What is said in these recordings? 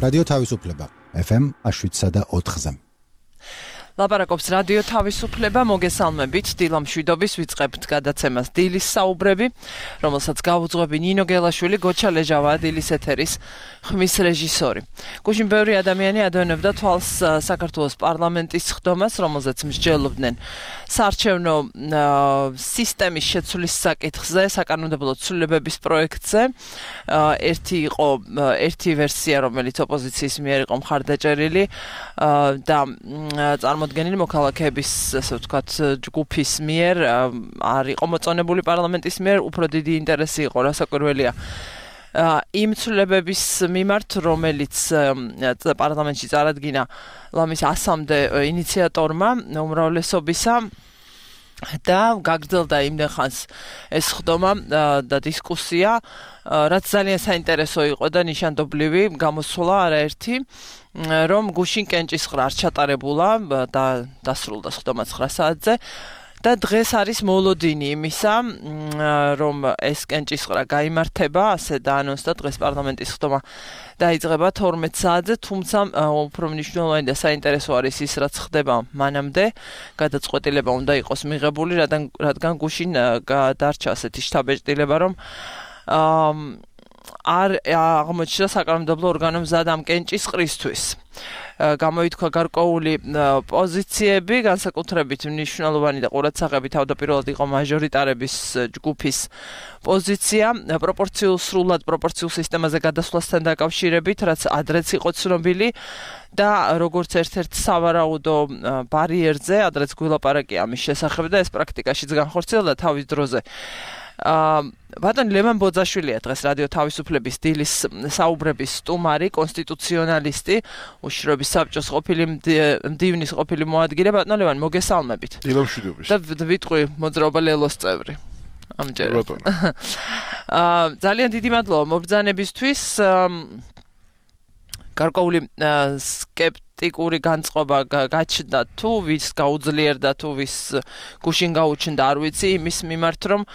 რადიო თავისუფლება FM 107.4-ზე. ლაპარაკობს რადიო თავისუფლება, მოგესალმებით, დილა მშვიდობის ვიწყებთ გადაცემას დილის საუბრები, რომელსაც გაუძღვები ნინო გელაშვილი, გოჩა ლეჟავაა დილის ეთერის ხმის რეჟისორი. გუშინ ბევრი ადამიანი ადევნებდა თვალს საქართველოს პარლამენტის ხდომას, რომელზეც მსჯელობდნენ საარჩევნო სისტემის შეცვლის საკითხზე, საკანონმდებლო ცვლილებების პროექტზე. ერთი ვერსია, რომელიც ოპოზიციის მიერ იყო მხარდაჭერილი და წარმოდგენილი მოქალაქეების, ასე ვთქვათ, ჯგუფის მიერ არ იყო მოწონებული პარლამენტის მიერ, უფრო დიდი ინტერესი იყო, რასაკვირველია, იმ ცვლილებების მიმართ, რომელიც პარლამენტში წარადგინა ლამის 100-მდე ინიციატორმა უმრავლესობისა და გაგრძელდა იმდენ ხანს ეს ხდომა და დისკუსია, რაც ძალიან საინტერესო იყო და ნიშანდობლივი გამოსვლა არაერთი, რომ გუშინ კენჭისყრა არ ჩატარებულა და დასრულდა ხდომა 9 საათზე და დღეს არის მოლოდინი იმისა, რომ ეს კენჭისყრა გაიმართება, ასე დაანონსდა დღეს პარლამენტის ხდომა დაიწყება 12 საათზე, თუმცა უფრო მნიშვნელოვანი და საინტერესო არის ის, რაც ხდება მანამდე, გადაწყვეტილება უნდა იყოს მიღებული, რადგან გუშინ დარჩა ასეთი შთაბეჭდილება, რომ არ აღმოჩნდა საკანონმდებლო ორგანომ მზად ამ კენჭისყრისთვის. გამოითქვა გარკვეული პოზიციები, განსაკუთრებით მნიშვნელოვანი და ყურადსაღები თავდაპირველად იყო მაჟორიტარების ჯგუფის პოზიცია, სრულად პროპორციულ სისტემაზე გადასვლასთან დაკავშირებით, რაც ადრეც იყო ცნობილი და როგორც ერთ-ერთ სავარაუდო ბარიერზე, ადრეც გვილაპარაკია ამის შესახებ და ეს პრაქტიკაშიც განხორციელდა თავის დროზე. ბატონი ლევან ბოძაშვილია დღეს რადიო თავისუფლების დილის საუბრების სტუმარი, კონსტიტუციონალისტი, უშიშროების საბჭოს ყოფილი მდივნის ყოფილი მოადგილე. ბატონ ლევან, მოგესალმებით. დილა მშვიდობის. და ვიტყვი მოძრაობა ლელოს წევრი. ამჯერად. ძალიან დიდი მადლობა მობრძანებისთვის. გარკვეული სკეპტიკური განწყობა გაჩნდა თუ ვის გაუძლიერდა თუ ვის გუშინ გაუჩნდა, არ ვიცი, იმის მიმართ, რომ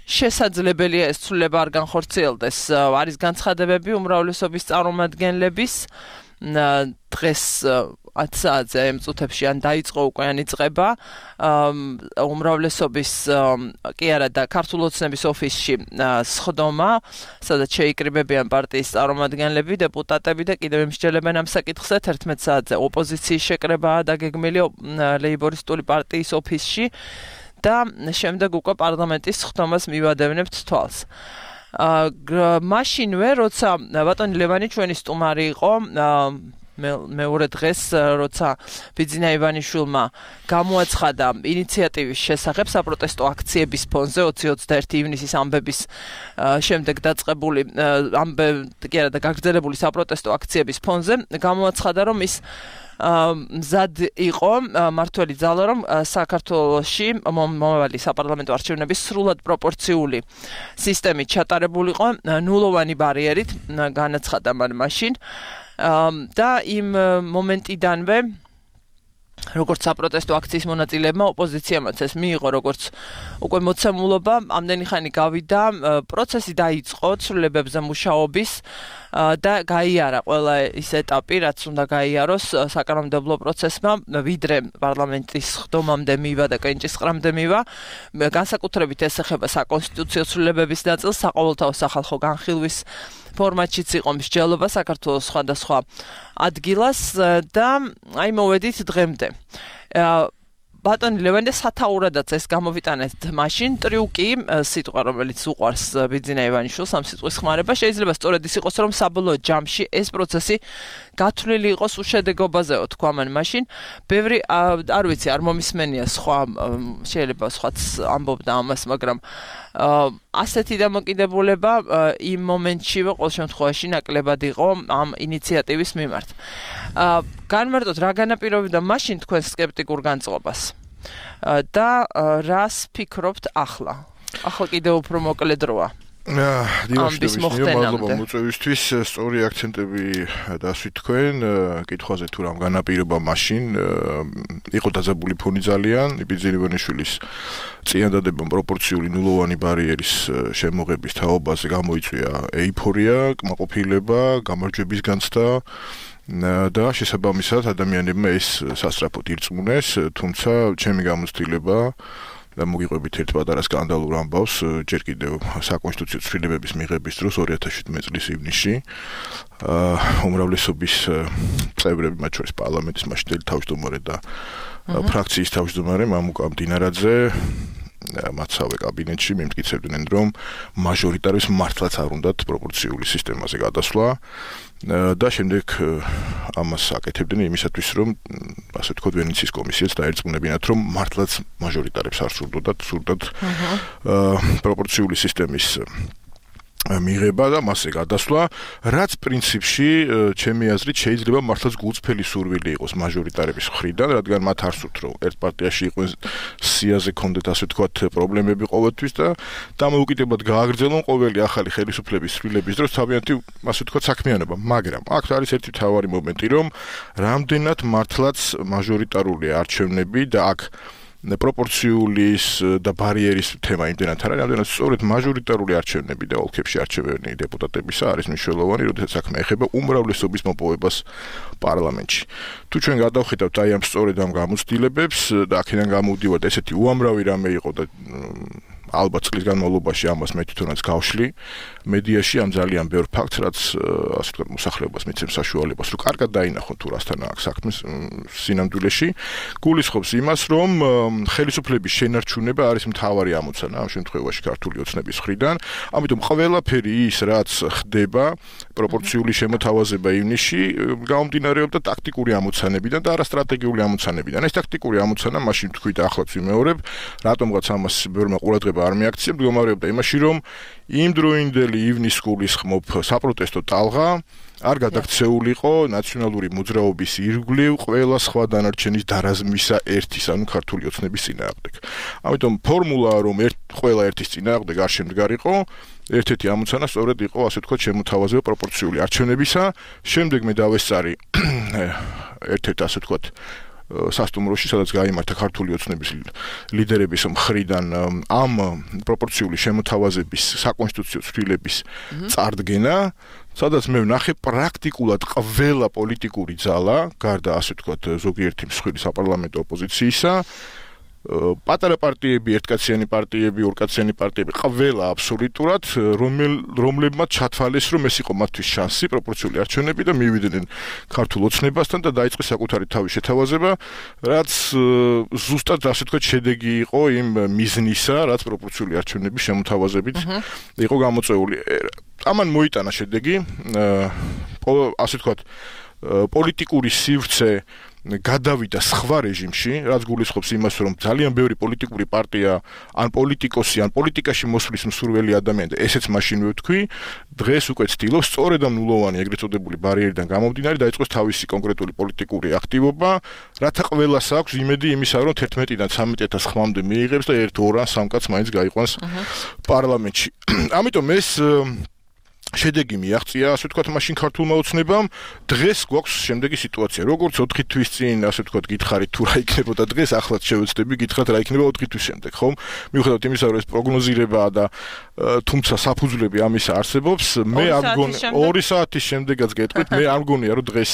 შესაძლებელია ეს ცვლილება არ განხორციელდეს. არის განცხადებები უმრავლესობის წარმომადგენლების დღეს 10 საათზე ამ წუთებში ან დაიწყო უკვე ან იწყება უმრავლესობის კი არა და ქართულ ოცნების ოფისში სხდომა, სადაც შეიკრიბებიან პარტიის წარმომადგენლები, დეპუტატები და კიდევ ემსჯელებენ ამ საკითხზე. 11 საათზე ოპოზიციის შეკრებაა დაგეგმილი ლეიბორისტული პარტიის ოფისში და შემდეგ უკვე პარლამენტის სხდომას მივადევნებთ თვალს. მაშინვე, როცა ბატონი ლევანი ჩვენი სტუმარი იყო, მეორე დღეს, როცა ბიძინა ივანიშვილმა გამოაცხადა ინიციატივის შესახებ საპროტესტო აქციების ფონზე 20-21 ივნისის ამბების შემდეგ დაწყებული კი არა და გაგრძელებული საპროტესტო აქციების ფონზე, გამოაცხადა, რომ ის მზად იყო მართველი ძალა, რომ საქართველოში მომავალი საპარლამენტო არჩევნების სრულად პროპორციული სისტემით ჩატარებულიყო ნულოვანი ბარიერით, განაცხადა მან მაშინ და იმ მომენტიდანვე, როგორც საპროტესტო აქციის მონაწილეებმა ოპოზიციამაც ეს მიიღო როგორც უკვე მოცემულობა, ამდენი ხანი გავიდა, პროცესი დაიწყო ცვლილებებზე მუშაობის და გაიარა ყველა ის ეტაპი, რაც უნდა გაიაროს საკანონმდებლო პროცესმა, ვიდრე პარლამენტის ხდომამდე მივა და კენჭისყრამდე მივა. განსაკუთრებით ეს ეხება საკონსტიტუციო ცვლილებების ნაწილს, საყოველთაო სახალხო განხილვის ფორმატშიც იყო მსჯელობა საქართველოს სხვადასხვა ადგილას და აი მოვედით დღემდე. ბატონი ლევან, სათაურადაც ეს გამოვიტანეთ მაშინ ტრიუკი, სიტყვა, რომელიც უყვარს ბიძინა ივანიშვილს, ამ სიტყვის ხმარება, შეიძლება სწორედ ის იყოს, რომ საბოლოო ჯამში ეს პროცესი გათვლილი იყოს უშედეგობაზეო, თქვა მან მაშინ. ბევრი, არ ვიცი, არ მომისმენია სხვა, შეიძლება სხვაც ამბობდა ამას, მაგრამ ასეთი დამოკიდებულება იმ მომენტშივე ყოველ შემთხვევაში ნაკლებად იყო ამ ინიციატივის მიმართ. განმარტოთ, რა განაპირობებდა მაშინ თქვენ სკეპტიკურ განწყობას და რას ფიქრობთ ახლა? ახლა კიდევ უფრო მოკლე დროა. ამის მოხდენამდე. მოწვევისთვის სწორი აქცენტები დასვით თქვენ, კითხვაზე თუ რამ განაპირობა მაშინ იყო დაძაბული ფონი ძალიან, იბიძი ივანიშვილის წინადადებამ პროპორციული ნულოვანი ბარიერის შემოღების თაობაზე გამოიწვია ეიფორია, კმაყოფილება, გამარჯვების განცდა და შესაბამისად ადამიანებმა ეს სასწრაფოდ ირწმუნეს, თუმცა ჩემი გამოცდილება და მოგიყვებით ერთ პატარა სკანდალურ ამბავს ჯერ კიდევ საკონსტიტუციო ცვლილებების მიღების დროს 2017 წლის ივნისში უმრავლესობის წევრები, მათ შორის პარლამენტის მაშინდელი თავმჯდომარე და ფრაქციის თავმჯდომარე მამუკა მდინარაძე მათსავე კაბინეტში მიმტკიცებდნენ, რომ მაჟორიტარებს მართლაც არ უნდათ პროპორციული სისტემაზე გადასვლა და შემდეგ ამას აკეთებდნენ იმისათვის, რომ ასე ვთქვათ, ვენეციის კომისიაც დაერწმუნებინათ, რომ მართლაც მაჟორიტარებს არ სურდათ პროპორციული სისტემის მიღება და მასზე გადასვლა, რაც პრინციპში ჩემი აზრით შეიძლება მართლაც გულწრფელი სურვილი იყოს მაჟორიტარების მხრიდან, რადგან მათ არ სურთ, რომ ერთ პარტიაში იყვნენ სიაზე კონდეთ ასე ვთქვათ პრობლემები ყოველთვის და დამოუკიდებლად გააგრძელონ ყოველი ახალი ხელისუფლების ცვლილების დროს თავიანთი ასე ვთქვათ საქმიანობა, მაგრამ აქ არის ერთი მთავარი მომენტი, რომ რამდენად მართლაც მაჟორიტარული არჩევნები და აქ პროპორციული და ბარიერის თემა იმდენად არის, რამდენად სწორედ მაჟორიტარული არჩევნები და ოლქებში არჩევანი დეპუტატებისა არის მნიშვნელოვანი, როდესაც საქმე ეხება უმრავლესობის მოპოვებას პარლამენტში. თუ ჩვენ გადავხედავთ აი ამ სწორედ ამ გამოცდილებებს და აქედან გამოვდივართ ესეთი უამრავი რამე იყო და ალბათ წლის განმავლობაში ამას მე თვითონაც გავშლი მედიაში ამ ძალიან ბევრ ფაქტს, რაც ასე ვთქვათ მოსახლეობას მიცემს საშუალებას, რომ კარგად დაინახონ თუ რასთან აქვს საქმე სინამდვილეში, გულისხმობს იმას, რომ ხელისუფლების შენარჩუნება არის მთავარი ამოცანა ამ შემთხვევაში ქართული ოცნების მხრიდან, ამიტომ ყველაფერი ის, რაც ხდება პროპორციული შემოთავაზება ივნისში, გამომდინარეობდა ტაქტიკური ამოცანებიდან და არა სტრატეგიული ამოცანებიდან. ეს ტაქტიკური ამოცანა მაშინ თქვით ახლაც ვიმეორებ, რატომღაც ამას ბევრმა ყურადღება არ მიაქცია, მდგომარეობდა იმაში, რომ იმდროინდელი ივნის გულისხმობ საპროტესტო ტალღა არ გადაქცეულიყო ნაციონალური მოძრაობის ირგვლივ ყველა სხვა დანარჩენის დარაზმისა ერთის, ანუ ქართული ოცნების წინააღმდეგ. ამიტომ ფორმულა, რომ ყველა ერთის წინააღმდეგ არ შემდგარიყო, ერთ-ერთი ამოცანა სწორედ იყო, ასე ვთქვათ, შემოთავაზება პროპორციული არჩევნებისა. შემდეგ მე დავესწარი ერთ-ერთ, ასე ვთქვათ, სასტუმროში, სადაც გაიმართა ქართული ოცნების ლიდერების მხრიდან ამ პროპორციული შემოთავაზების საკონსტიტუციო ცვლილების წარდგენა, სადაც მე ვნახე პრაქტიკულად ყველა პოლიტიკური ძალა, გარდა ასე ვთქვათ, ზოგიერთი მსხვილი საპარლამენტო ოპოზიციისა, პატარა პარტიები, ერთკაციანი პარტიები, ორკაციანი პარტიები, ყველა აბსოლუტურად, რომლებმაც ჩათვალეს, რომ ეს იყო მათთვის შანსი პროპორციული არჩევნები და მივიდნენ ქართულ ოცნებასთან და დაიწყეს საკუთარი თავის შეთავაზება, რაც ზუსტად ასე ვთქვათ შედეგი იყო იმ მიზნისა, რაც პროპორციული არჩევნების შემოთავაზებით იყო გამოწვეული. ამან მოიტანა შედეგი, ასე ვთქვათ, პოლიტიკური სივრცე გადავიდა სხვა რეჟიმში, რაც გულისხმობს იმას, რომ ძალიან ბევრი პოლიტიკური პარტია, ან პოლიტიკოსი, ან პოლიტიკაში მოსვლის მსურველი ადამიანი, ესეც მაშინვე ვთქვი, დღეს უკვე ცდილობს სწორედ ამ ნულოვანი ეგრეთ წოდებული ბარიერიდან გამომდინარე დაიწყოს თავისი კონკრეტული პოლიტიკური აქტივობა, რათა ყველას აქვს იმედი იმისა, რომ 11-დან 13,000 ხმამდე მიიღებს და 1-2 ან 3 კაცს მაინც გაიყვანს პარლამენტში. ამიტომ ეს შედეგი მიაღწია, ასე ვთქვათ, მაშინ ქართულმა ოცნებამ. დღეს გვაქვს შემდეგი სიტუაცია. როგორც 4 თვის წინ, ასე ვთქვათ, გითხარით თუ რა იქნებოდა დღეს, ახლაც შევეცდები გითხრათ რა იქნება 4 თვის შემდეგ, ხომ? მიუხედავად იმისა, რომ ეს პროგნოზირებაა და თუმცა საფუძვლები ამისა არსებობს, მე არ მგონი 2 საათის შემდეგაც გეტყვით, მე არ მგონია, რომ დღეს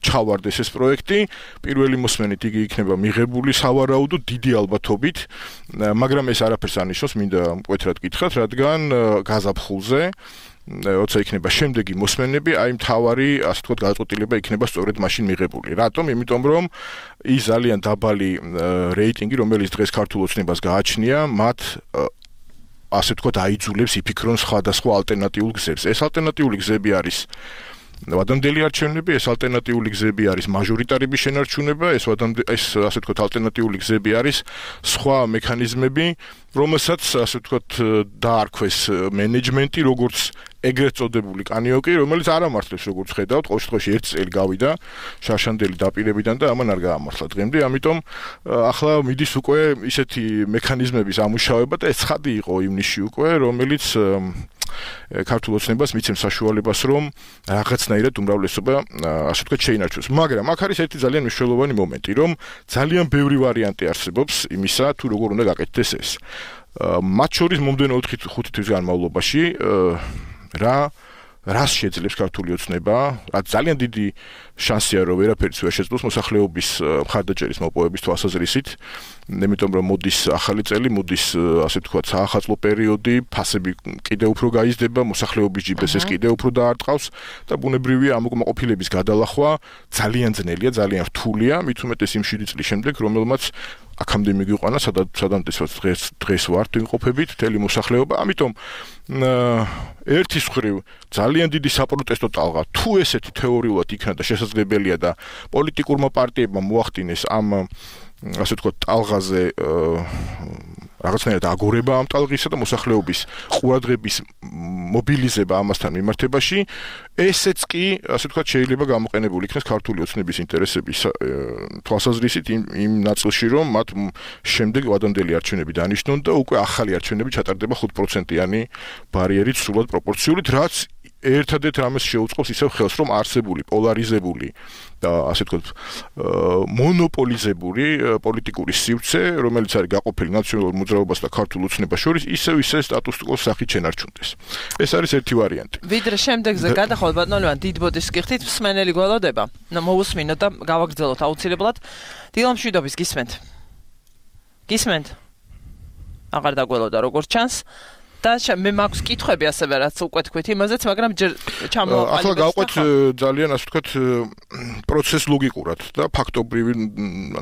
ჩავარდეს ეს პროექტი. პირველი მოსმენით იგი იქნება მიღებული სავარაუდოდ დიდი ალბათობით, მაგრამ ეს არაფერს არ ნიშნავს, მინდა მკვეთრად გითხრათ, რადგან გაზაფხულზე როცა იქნება შემდეგი მოსმენები, აი მთავარი, ასე ვთქვათ, გადაწყვეტილება იქნება სწორედ მაშინ მიღებული. რატომ? იმიტომ რომ ის ძალიან დაბალი რეიტინგი, რომელიც დღეს ქართულ ოცნებას გააჩნია, მათ ასე ვთქვათ, აიძულებს იფიქრონ სხვადასხვა ალტერნატიულ გზებს. ეს ალტერნატიული გზები არის ვადამდელი არჩევნები, ეს ალტერნატიული გზები არის მაჟორიტარების შენარჩუნება, ეს ასე ვთქვათ, ალტერნატიული გზები არის სხვა მექანიზმები, რომელსაც ასე ვთქვათ, დაარქვეს მენეჯმენტი, როგორც ეგრეთ წოდებული კანიოკი, რომელიც არ ამართლებს, როგორც ხედავთ, ყოველ შემთხვევაში 1 წელი გავიდა შარშანდელი დაპირებიდან და ამან არ გაამართლა დღემდე, ამიტომ ახლა მიდის უკვე ისეთი მექანიზმების ამუშავება და ეს ცხადი იყო ივნისში უკვე, რომელიც ქართულ ოცნებას მიცემს საშუალებას, რომ რაღაცნაირად უმრავლესობა, ასე ვთქვათ, შეინარჩუნოს. მაგრამ აქ არის ერთი ძალიან მნიშვნელოვანი მომენტი, რომ ძალიან ბევრი ვარიანტი არსებობს იმისა, თუ როგორ უნდა გაკეთდეს ეს. მათ შორის მომდენო 4-5 თვის განმავლობაში რას შეძლებს ქართული ოცნება, რაც ძალიან დიდი შანსია, რომ ვერაფერიც ვერ შეძლოს მოსახლეობის მხარდაჭერის მოპოვების თვალსაზრისით, იმიტომ რომ მოდის ახალი წელი, მოდის ასე ვთქვათ, საახალწლო პერიოდი, ფასები კიდევ უფრო გაიზრდება, მოსახლეობის ჯიბესს კიდევ უფრო დაარტყავს და ბუნებრივია ამ უკმაყოფილების გადალახვა ძალიან ძნელია, ძალიან რთულია, მით უმეტეს იმ 7 წლის შემდეგ, რომელმაც აქამდე მიგვიყვანა, სადამტեսვაც დღეს ვართ იმყოფებით მთელი მოსახლეობა, ამიტომ ერთის მხრივ ძალიან დიდი საპროტესტო ტალღა თუ ესეთი თეორიულად იქნა და შესაძლებელია და პოლიტიკურმა პარტიებმა მოახდინეს ამ ასე ვთქვათ ტალღაზე რაღაცნაირად აგორება ამ ტალღისა და მოსახლეობის ყურადღების მობილიზება ამასთან მიმართებაში, ესეც კი ასე ვთქვათ შეიძლება გამოყენებული იქნას ქართული ოცნების ინტერესების თვალსაზრისით იმ ნაწილში, რომ მათ შემდეგ ვადამდელი არჩევნები დანიშნონ და უკვე ახალი არჩევნები ჩატარდება 5%-იანი ბარიერით სრულად პროპორციულით, რაც ერთადერთ რამეს შეუწყობს ისევ ხელს, რომ არსებული პოლარიზებული და ასე ვთქვათ მონოპოლიზებული პოლიტიკური სივრცე, რომელიც არის გაყოფილი ნაციონალურ მოძრაობას და ქართულ ოცნებას შორის, ისევ სტატუს კოს სახით შენარჩუნდეს. ეს არის ერთი ვარიანტი. ვიდრე შემდეგზე გადახვალ ბატონო ლევან დიდ ბოდიშს გიხდით, მსმენელი გველოდება. მოვუსმინოთ და გავაგრძელოთ აუცილებლად. დილამშვიდობის გისმენთ. გისმენთ? აღარ დაგველოდა როგორც ჩანს. და მე მაქვს კითხვები ასევე რაც უკვე თქვით იმაზეც, მაგრამ ჯერ ჩამოვაყალიბეთ. ახლა გავყვეთ ძალიან ასე ვთქვათ პროცეს ლოგიკურად და ფაქტობრივი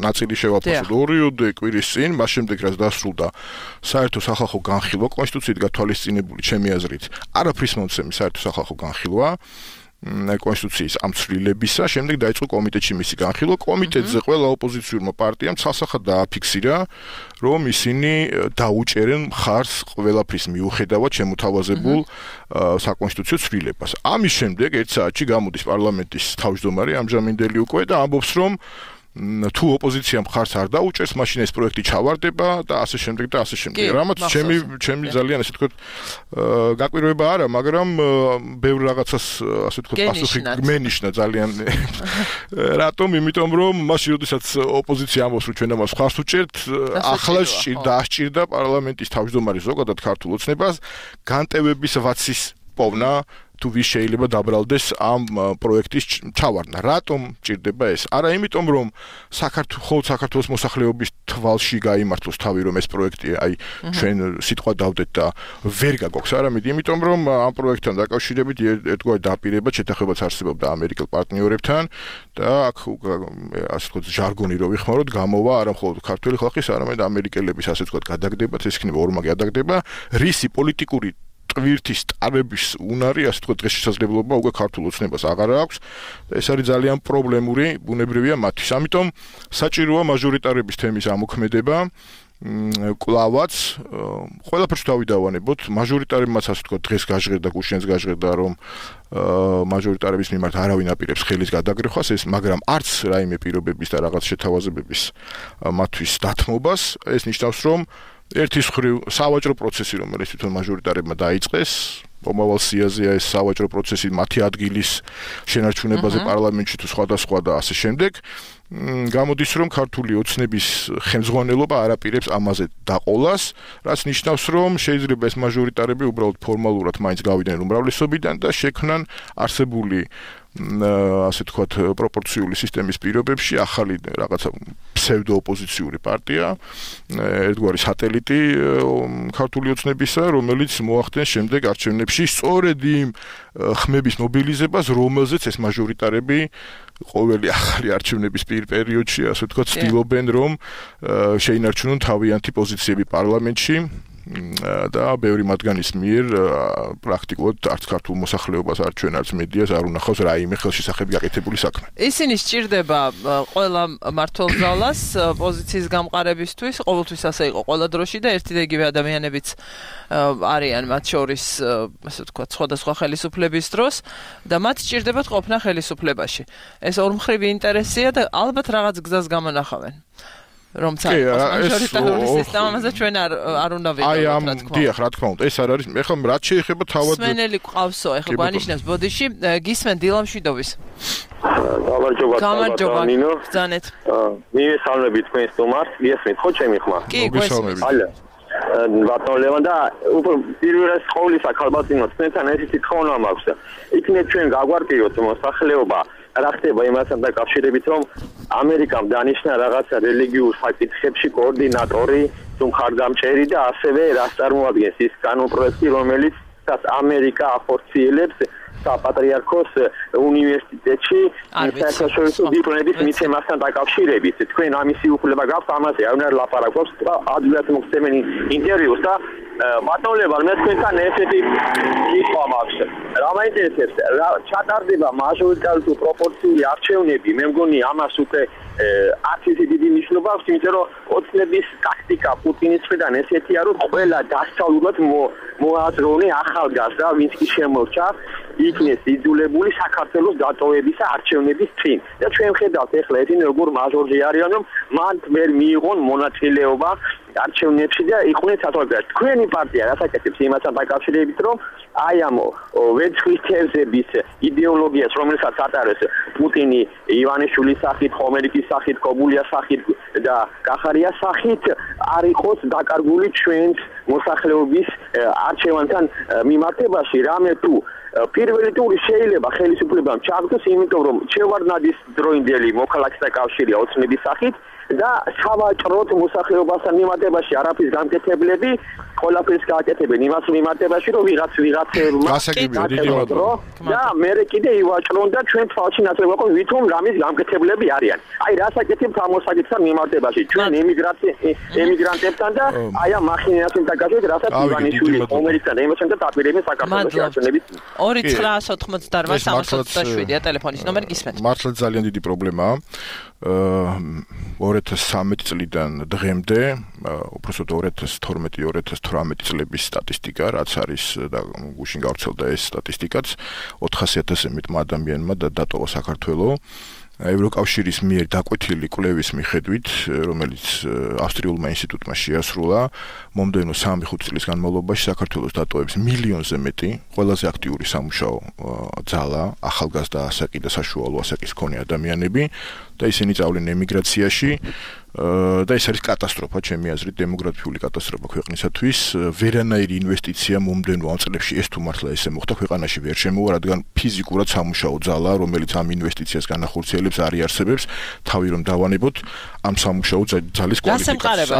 ნაწილი შევაფასოთ 2 კვირის წინ, მას შემდეგ რაც დასრულდა საერთო სახალხო განხილვა, კონსტიტუციით გათვალისწინებული ჩემი აზრით, არაფრის მომცემი საერთო სახალხო განხილვა კონსტიტუციის ამ ცვლილებისა, შემდეგ დაიწყო კომიტეტში მისი განხილვა. კომიტეტზე ყველა ოპოზიციურმა პარტიამ ცალსახად დააფიქსირა, რომ ისინი დაუჭერენ მხარს ყველაფრის მიუხედავად შემოთავაზებულ საკონსტიტუციო ცვლილებას. ამის შემდეგ 1 საათში გამოდის პარლამენტის თავმჯდომარე ამჟამინდელი უკვე და ამბობს, რომ თუ ოპოზიცია მხარს არ დაუჭერს, მაშინ ეს პროექტი ჩავარდება და ასე შემდეგ და ასე შემდეგ. რამაც ჩემი ძალიან ასე ვთქვათ გაკვირვება არა, მაგრამ ბევრ რაღაცას ასე ვთქვათ პასუხი მენიშნა ძალიან. რატომ? იმიტომ რომ მაშინ როდესაც ოპოზიცია ამბობს, რომ ჩვენ ამას მხარს უჭერთ, ახლა დაასჭირდა პარლამენტის თავმჯდომარე ზოგადად ქართულ ოცნებას განტევების ვაცის პოვნა თუ ვის შეიძლება დაბრალდეს ამ პროექტის ჩავარდნა. რატომ ჭირდება ეს? არა იმიტომ, რომ საქართველოს მოსახლეობის თვალში გაიმართლოს თავი, რომ ეს პროექტი აი ჩვენ სიტყვა დავდეთ და ვერ გაგოქს, არამედ იმიტომ, რომ ამ პროექტთან დაკავშირებით ერთგვარი დაპირება შეთანხმებაც არსებობდა ამერიკელ პარტნიორებთან და აქ ასე ვთქვათ ჟარგონი რო ვიხმაროთ, გამოვა არა მხოლოდ ქართული ხალხის, არამედ ამერიკელების ასე ვთქვათ გადაგდებაც, ეს იქნება ორმაგი გადაგდება, რისი პოლიტიკური ტვირთის ტარების უნარი, ასე ვთქვათ, დღეს შესაძლებლობა უკვე ქართულ ოცნებას აღარ აქვს და ეს არის ძალიან პრობლემური, ბუნებრივია მათთვის. ამიტომ საჭიროა მაჟორიტარების თემის ამოქმედება. კლავაც ყველაფერს დავიდავანებოთ, მაჟორიტარებმაც ასე ვთქვათ, დღეს გაჟღერდა, გუშინს გაჟღერდა, რომ მაჟორიტარების მიმართ არავინ აპირებს ხელის გადაგრეხვას, მაგრამ არც რაიმე პირობების და რაღაც შეთავაზებების მათთვის დათმობას, ეს ნიშნავს, რომ ერთის მხრივ სავაჭრო პროცესი, რომელიც თვითონ მაჟორიტარებმა დაიწყეს, მომავალ სიაზეა ეს სავაჭრო პროცესი მათი ადგილის შენარჩუნებაზე პარლამენტში თუ სხვადასხვა და ასე შემდეგ, გამოდის, რომ ქართული ოცნების ხელმძღვანელობა არ აპირებს ამაზე დაყოლას, რაც ნიშნავს, რომ შეიძლება ეს მაჟორიტარები უბრალოდ ფორმალურად მაინც გავიდნენ უმრავლესობიდან და შექმნან არსებული ასე ვთქვათ პროპორციული სისტემის პირობებში ახალი რაღაცა ფსევდოოპოზიციური პარტია, ერთგვარი სატელიტი ქართული ოცნებისა, რომელიც მოახდენს შემდეგ არჩევნებში სწორედ იმ ხმების მობილიზებას, რომელზეც ეს მაჟორიტარები ყოველი ახალი არჩევნების პერიოდში, ასე ვთქვათ, ცდილობენ, რომ შეინარჩუნონ თავიანთი პოზიციები პარლამენტში და ბევრი მათგანის მიერ პრაქტიკულად არც ქართულ მოსახლეობას არ ჩვენ არც მედიას არ უნახავს რაიმე ხელშესახები გაკეთებული საქმე. ისინი სჭირდება ყველა მმართველ ძალას პოზიციის გამყარებისთვის, ყოველთვის ასე იყო ყველა დროში და ერთი და იგივე ადამიანებიც არიან მათ შორის, ასე ვთქვათ, სხვადასხვა ხელისუფლების დროს და მათ სჭირდებათ ყოფნა ხელისუფლებაში. ეს ორმხრივი ინტერესია და ალბათ რაღაც გზას გამონახავენ. რომცა მაჟორიტარული სისტემა, ამაზე ჩვენ არ უნდა ვიდეოთ, რა თქმა უნდა. დიახ, რა თქმა უნდა, ეს არ არის. ეხლა რაც შეეხება თავად სვენელი ყავსო, ეხლა გვანიშნებს ბოდიში, გისმენ დილამშვიდობის. გამარჯობა ნინო. ბრძანეთ. მივესალმები თქვენ სტუმარს, გესმით ხო ჩემი ხმა? კი, გვესმის. ბატონ ლევან და პირველ რიგში ყოვლისა ქალბატონო თქვენთან ესეთი თხოვნა მაქვს. იქნებ ჩვენ გაგვარტიოთ მოსახლეობა რა ხდება იმასთან დაკავშირებით რომ ამერიკამ დანიშნა რაღაცა რელიგიურ საკითხებში კოორდინატორი თუ მხარდამჭერი და ასევე რას წარმოადგენს ის კანონპროექტი რომელიც ამერიკა ახორციელებს საპატრიარქოს უნივერსიტეტში საერთაშორისო დიპლომების მიცემასთან დაკავშირებით. თქვენ ამისი უფლება გაქვთ ამაზე არ უნდა ლაპარაკობს ადვილად მოგცემენ ინტერვიუს და ბატონ ლევან მე თქვენთან ესეთი სიტყვა მაქვს. რა მაინტერესებს რა ჩატარდება მაჟორიტარული თუ პროპორციული არჩევნები მე მგონი ამას უკვე არც ისე დიდი მნიშვნელობა აქვს იმიტომ რომ ოცნების ტაქტიკა პუტინის მხრიდან ესეთია რომ ყველა დასწავლულად მოაზროვნე ახალგაზრდა ვინც კი შემორჩა იქნეს იძულებული საქართველოს დატოვების არჩევნების წინ და ჩვენ ხედავთ ახლა ესენი როგორ მაჟორჟი არიან რომ მან ვერ მიიღონ მონაწილეობა არჩევნებში და იყვნენ საზოგადოებაში. თქვენი პარტია რასაკეთებს იმასთან დაკავშირებით რომ აი ამ ვერცხლის თევზების იდეოლოგიას რომელსაც ატარებს პუტინი ივანიშვილის სახით, ხომერიკის სახით, კობულიას სახით და კახარიას სახით არ იყოს დაკარგული ჩვენს მოსახლეობის არჩევანთან მიმართებაში რამე თუ პირველი ტური შეიძლება ხელისუფლებამ ჩაგდოს იმიტომ რომ ჩევარდნაძის დროინდელი მოქალაქეთა კავშირია ოცნების სახით და სავაჭროდ მოსახლეობასთან მიმართებაში არაფრის გამკეთებლები ყველაფერს გააკეთებენ იმას მიმართებაში რომ ვიღაცებმა და მერე კიდე ივაჭრონ და ჩვენ თვალში ნაცვლად ვაყოთ ვითომ რამის გამკეთებლები არიან. აი რასაკეთებთ ამ მოსაგებთან მიმართებაში ჩვენ ემიგრანტებთან და აი ამ მახინასთან დაკავშირებით რასაც ივანიშვილი ამერიკიდან ემოსენდა დაპირებენ საქართველოს არჩევნების 2988 ტელეფონის ნომერი გისმენთ. მართლა ძალიან დიდი პრობლემაა. 2013 წლიდან დღემდე, უბრალოდ 2012-2018 წლების სტატისტიკა, რაც არის და გუშინ გავრცელდა ეს სტატისტიკაც, 400,000-ზე მეტ ადამიანმა დატოვა საქართველო. ევროკავშირის მიერ დაკვეთილი კვლევის მიხედვით, რომელიც ავსტრიულმა ინსტიტუტმა შეასრულა, მომდევნო 3-5 წლის განმავლობაში საქართველოს დატოვებს მილიონზე მეტი, ყველაზე აქტიური სამუშაო ძალა, ახალგაზრდა ასაკი და საშუალო ასაკის მქონე ადამიანები და ისინი წავლენ ემიგრაციაში და ეს არის კატასტროფა, ჩემი აზრით, დემოგრაფიული კატასტროფა ქვეყნისათვის. ვერანაირი ინვესტიცია მომდევნო ამ წლებში ეს თუ მართლა ესე მოხდა ქვეყანაში ვერ შემოვა, რადგან ფიზიკურად სამუშაო ძალა, რომელიც ამ ინვესტიციას განახორციელებს, არ იარსებებს, თავი რომ დავანებოთ ამ სამუშაო ძალის კვალიფიკაციას.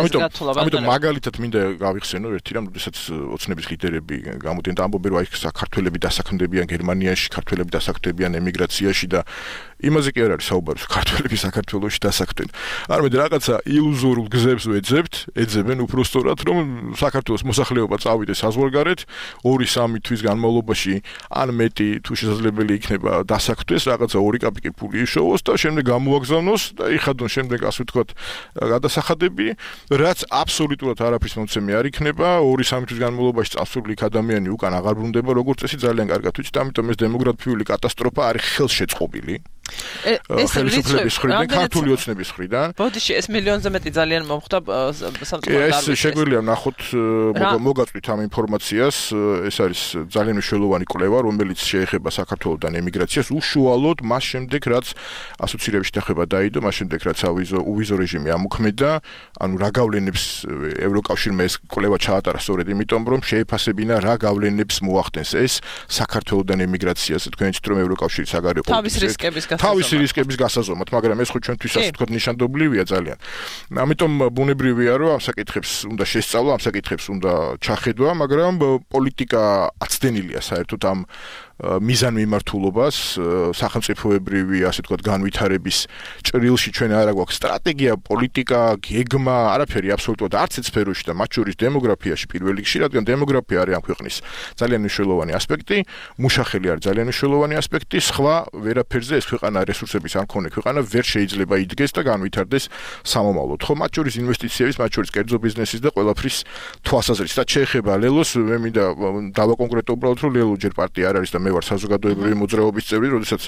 ამიტომ მაგალითად მინდა გავიხსენო ერთი რამ, როდესაც ოცნების ლიდერები გამოდიან და ამბობენ, რომ აი საქართველები დასაქმდებიან გერმანიაში, საქართველები დასაქმდებიან ემიგრაციაში და იმაზე კი არ არის საუბარი, საქართველები საქართველოში დასაქმდნენ. არამედ რაღაცა ილუზორულ გზებს ეძებენ უბრალოდ რომ საქართველოს მოსახლეობა წავიდეს საზღვარგარეთ 2-3 თვის განმავლობაში ან მეტი თუ შესაძლებელი იქნება დასაქმდეს რაღაცა 2 კაპიკი ფული იშოვოს და შემდეგ გამოაგზავნოს და იხადონ შემდეგ ასე ვთქვათ გადასახადები რაც აბსოლუტურად არაფრის მომცემი არ იქნება 2-3 თვის განმავლობაში წასული ადამიანი უკან აღარ ბრუნდება როგორც წესი ძალიან კარგად ვიცით ამიტომ ეს დემოგრაფიული კატასტროფა არის ხელშეწყობილი ხელისუფლების მხრიდან, ქართული ოცნების მხრიდან. ბოდიში ეს მილიონზე მეტი ძალიან მომხდა სამწუხაროდ. ეს შეგვიძლია ნახოთ, მოგაწვით ამ ინფორმაციას, ეს არის ძალიან მნიშვნელოვანი კვლევა, რომელიც შეეხება საქართველოსთან ემიგრაციას, უშუალოდ მას შემდეგ, რაც ასოცირების შეხება დაიდო, მას შემდეგ, რაც უვიზო რეჟიმი ამოქმედა, ანუ რა გავლენებს ევროკავშირმა ეს კვლევა ჩაატარა სწორედ იმიტომ, რომ შეეფასებინა რა გავლენებს მოახდენს ეს საქართველოსთან ემიგრაციას, თქვენ იცით რომ ევროკავშირი საგარეო თავისი რისკების გასაზომად, მაგრამ ეს ხო ჩვენთვის ასე ვთქვათ ნიშანდობლივია ძალიან. ამიტომ ბუნებრივია რომ ამ საკითხებს უნდა შესწავლა, ამ საკითხებს უნდა ჩახედვა, მაგრამ პოლიტიკა აცდენილია საერთოდ ამ მიზანმიმართულობას, სახელმწიფოებრივი, ასე ვთქვათ, განვითარების ჭრილში ჩვენ არა გვაქვს სტრატეგია, პოლიტიკა, გეგმა, არაფერი აბსოლუტურად არც ერთ სფეროში და მათ შორის დემოგრაფიაში პირველ რიგში, რადგან დემოგრაფია არის ამ ქვეყნის ძალიან მნიშვნელოვანი ასპექტი, მუშახელი არის ძალიან მნიშვნელოვანი ასპექტი, სხვა ვერაფერზე ეს ქვეყანა რესურსების არ მქონე ქვეყანა ვერ შეიძლება იდგეს და განვითარდეს სამომავლოდ. ხო, მათ შორის ინვესტიციების, მათ შორის კერძო ბიზნესის და ყველაფრის თვალსაზრისით. და შეეხება ლელოს, მე მინდა დავაკონკრეტო უბრალოდ რომ ლელო ჯერ პარტია არ არის და მე ვარ საზოგადოებრივი მოძრაობის წევრი, როდესაც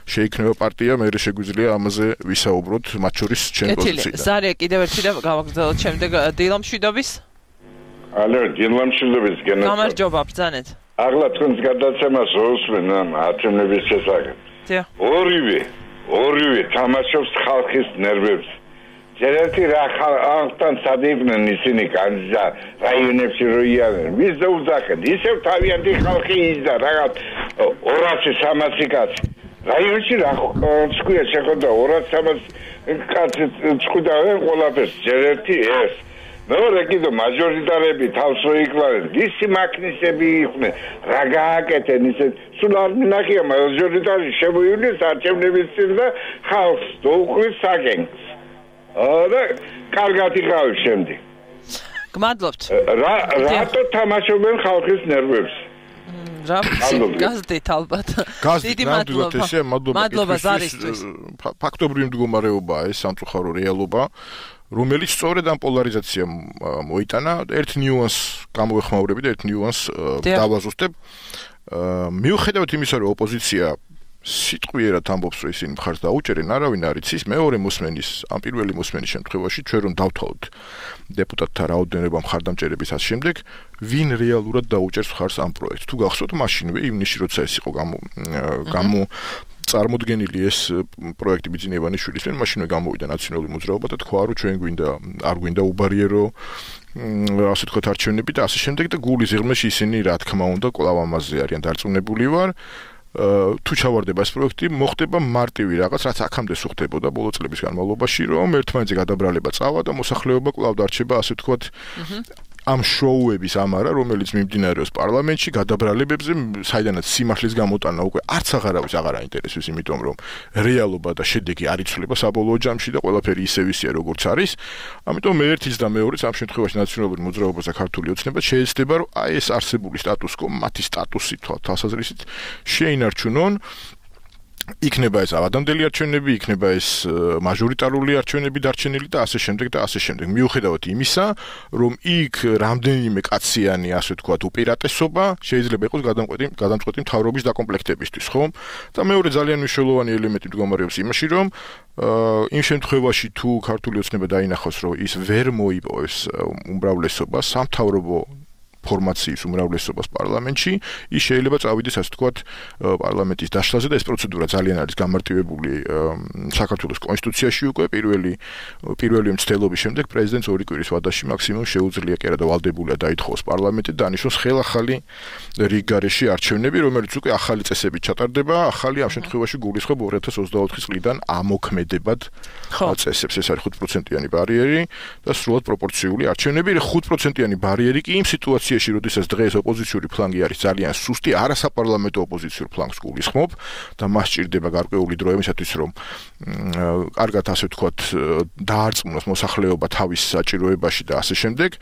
შეიქმნება პარტია, მე შეგვიძლია ამაზე ვისაუბროთ, მათ შორის ჩემ პოზიციიდან. ზარია კიდევ ერთი და გავაგრძელოთ შემდეგ დილამშვიდობის. ალო, დილამშვიდობის გენერალ. გამარჯობა, ბრძანეთ. აღლა თქვენს გადაცემას ვუსმენ ამ ათემების შესახებ. ორივე თამაშობს ხალხის ნერვებს. ჯერეთი რა ხალხთან სადიდნენ ისინი კანზა რაიონებში როიან. ვის დაუძახენ? ისევ თავიანთი ხალხი ისდა რაღაც 200-300 კაცი. რაიონში რა თქვია შეხედა 200-300 კაცი წყვიდავენ ყველაფერს. ჯერეთი ეს მეორე კიდე მაჟორიტარები თავს რო იკლავენ, ვისი მაქნისები იყვნენ, რა გააკეთენ ისე, სულ არ მინახია მაჟორიტარი შემოივლის არჩევნების წინ და ხალხს დაუყრის საგენგს. და კარგად იყავი შემდეგ. გმადლობთ. რატო თამაშობენ ხალხის ნერვებს? რა გაზდით ალბათ. დიდი მადლობა ზარისთვის. ფაქტობრივი მდგომარეობაა ეს სამწუხარო რეალობა. რომელიც სწორედ ამ პოლარიზაციამ მოიტანა, ერთ ნიუანს გამოეხმაურები და ერთ ნიუანს დავაზუსტებ. მიუხედავად იმისა, რომ ოპოზიცია სიტყვიერად ამბობს, რომ ისინი მხარს დაუჭერენ, არავინ არ იცის, მეორე მოსმენის, ამ პირველი მოსმენის შემთხვევაში, ჩვენ რომ დავთვალოთ დეპუტატთა რაოდენობა მხარდამჭერების ამ შემდეგ, ვინ რეალურად დაუჭერს მხარს ამ პროექტს. თუ გახსოვთ, მაშინვე ივნისში როცა ეს იყო წარმოდგენილი ეს პროექტი ბიძინა ივანიშვილის მიერ, მაშინვე გამოვიდა ნაციონალური მოძრაობა და თქვა, რომ ჩვენ არ გვინდა უბარიერო ასე თქვათ არჩევნები და ასე შემდეგ და გულის ღრმაში ისინი რა თქმა უნდა კვლავ ამაზე არიან დარწმუნებული ვარ. თუ ჩავარდება ეს პროექტი, მოხდება მარტივი რაღაც, რაც აქამდე სუხდებოდა ბოლო წლების განმავლობაში, რომ ერთმანეთზე გადაბრალება წავა და მოსახლეობა კვლავ დარჩება ასე თქვათ ამ შოუების ამარა, რომელიც მიმდინარეობს პარლამენტში, გადაბრალებებზე, საიდანაც სიმართლის გამოტანა უკვე არც აღარავის აღარ აინტერესებს, იმიტომ რომ რეალობა და შედეგი არ იცვლება საბოლოო ჯამში და ყველაფერი ისევ ისეა, როგორც არის. ამიტომ მე ერთიც და მეორეც ამ შემთხვევაში ნაციონალური მოძრაობა და ქართული ოცნება შეეცდება, რომ აი ეს არსებული სტატუს-კვო, მათი სტატუსი თვალსაზრისით შეინარჩუნონ. იქნება ეს ავადამდელი არჩევნები, იქნება ეს მაჟორიტარული არჩევნები დარჩენილი და ასე შემდეგ და ასე შემდეგ. მიუხედავად იმისა, რომ იქ რამდენიმე კაციანი, ასე ვთქვათ, უპირატესობა შეიძლება იყოს გადამწყვეტი მთავრობის დაკომპლექტებისთვის, ხო? და მეორე ძალიან მნიშვნელოვანი ელემენტი მდგომარეობს იმაში, რომ იმ შემთხვევაში თუ ქართული ოცნება დაინახოს, რომ ის ვერ მოიპოვებს უმრავლესობას სამთავრობო ფორმაციის უმრავლესობას პარლამენტში, ის შეიძლება წავიდეს ასე ვთქვათ პარლამენტის დაშლაზე და ეს პროცედურა ძალიან არის გამარტივებული საქართველოს კონსტიტუციაში უკვე პირველი მცდელობის შემდეგ პრეზიდენტს 2 კვირის ვადაში მაქსიმუმ შეუძლია კი არა და ვალდებულია დაითხოვოს პარლამენტი და დანიშნოს ხელახალი რიგ გარეშე არჩევნები, რომელიც უკვე ახალი წესებით ჩატარდება, ახალი ამ შემთხვევაში გულისხმობ 2024 წლიდან ამოქმედებად წესებს. ეს არის 5%-იანი ბარიერი და სრულად პროპორციული არჩევნები. 5%-იანი ბარიერი კი იმ სიტუაციაში, როდესაც დღეს ოპოზიციური ფლანგი არის ძალიან სუსტი, არასაპარლამენტო ოპოზიციურ ფლანგს გულისხმობ და მას სჭირდება გარკვეული დრო იმისათვის, რომ კარგად ასე ვთქვათ, დაარწმუნოს მოსახლეობა თავის საჭიროებაში და ასე შემდეგ.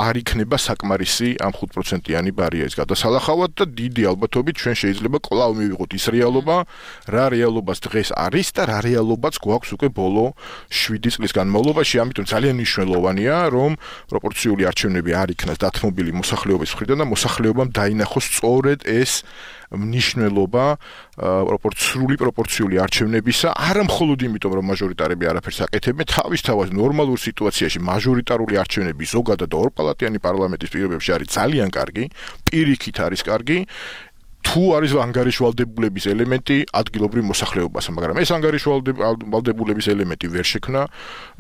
არ იქნება საკმარისი ამ 5%-იანი ბარიერის გადასალახავად და დიდი ალბათობით ჩვენ შეიძლება კვლავ მივიღოთ ის რეალობა, რა რეალობას დღეს არის და რა რეალობაც გვაქვს უკვე ბოლო 7 წლის განმავლობაში. ამიტომ ძალიან მნიშვნელოვანია, რომ პროპორციული არჩევნები არ იქნას დათმობილი მოსახლეობის მხრიდან და მოსახლეობამ დაინახოს სწორედ ეს მნიშვნელობა პროპორციული არჩევნებისა, არა მხოლოდ იმიტომ, რომ მაჟორიტარები არაფერს აკეთებენ, თავისთავად ნორმალურ სიტუაციაში მაჟორიტარული არჩევნები ზოგადად და ორპალატიანი პარლამენტის პირობებში არის ძალიან კარგი, პირიქით არის კარგი. თუ არის ანგარიშვალდებულების ელემენტი ადგილობრივ მოსახლეობასა, მაგრამ ეს ანგარიშვალდებულების ელემენტი ვერ შექმნა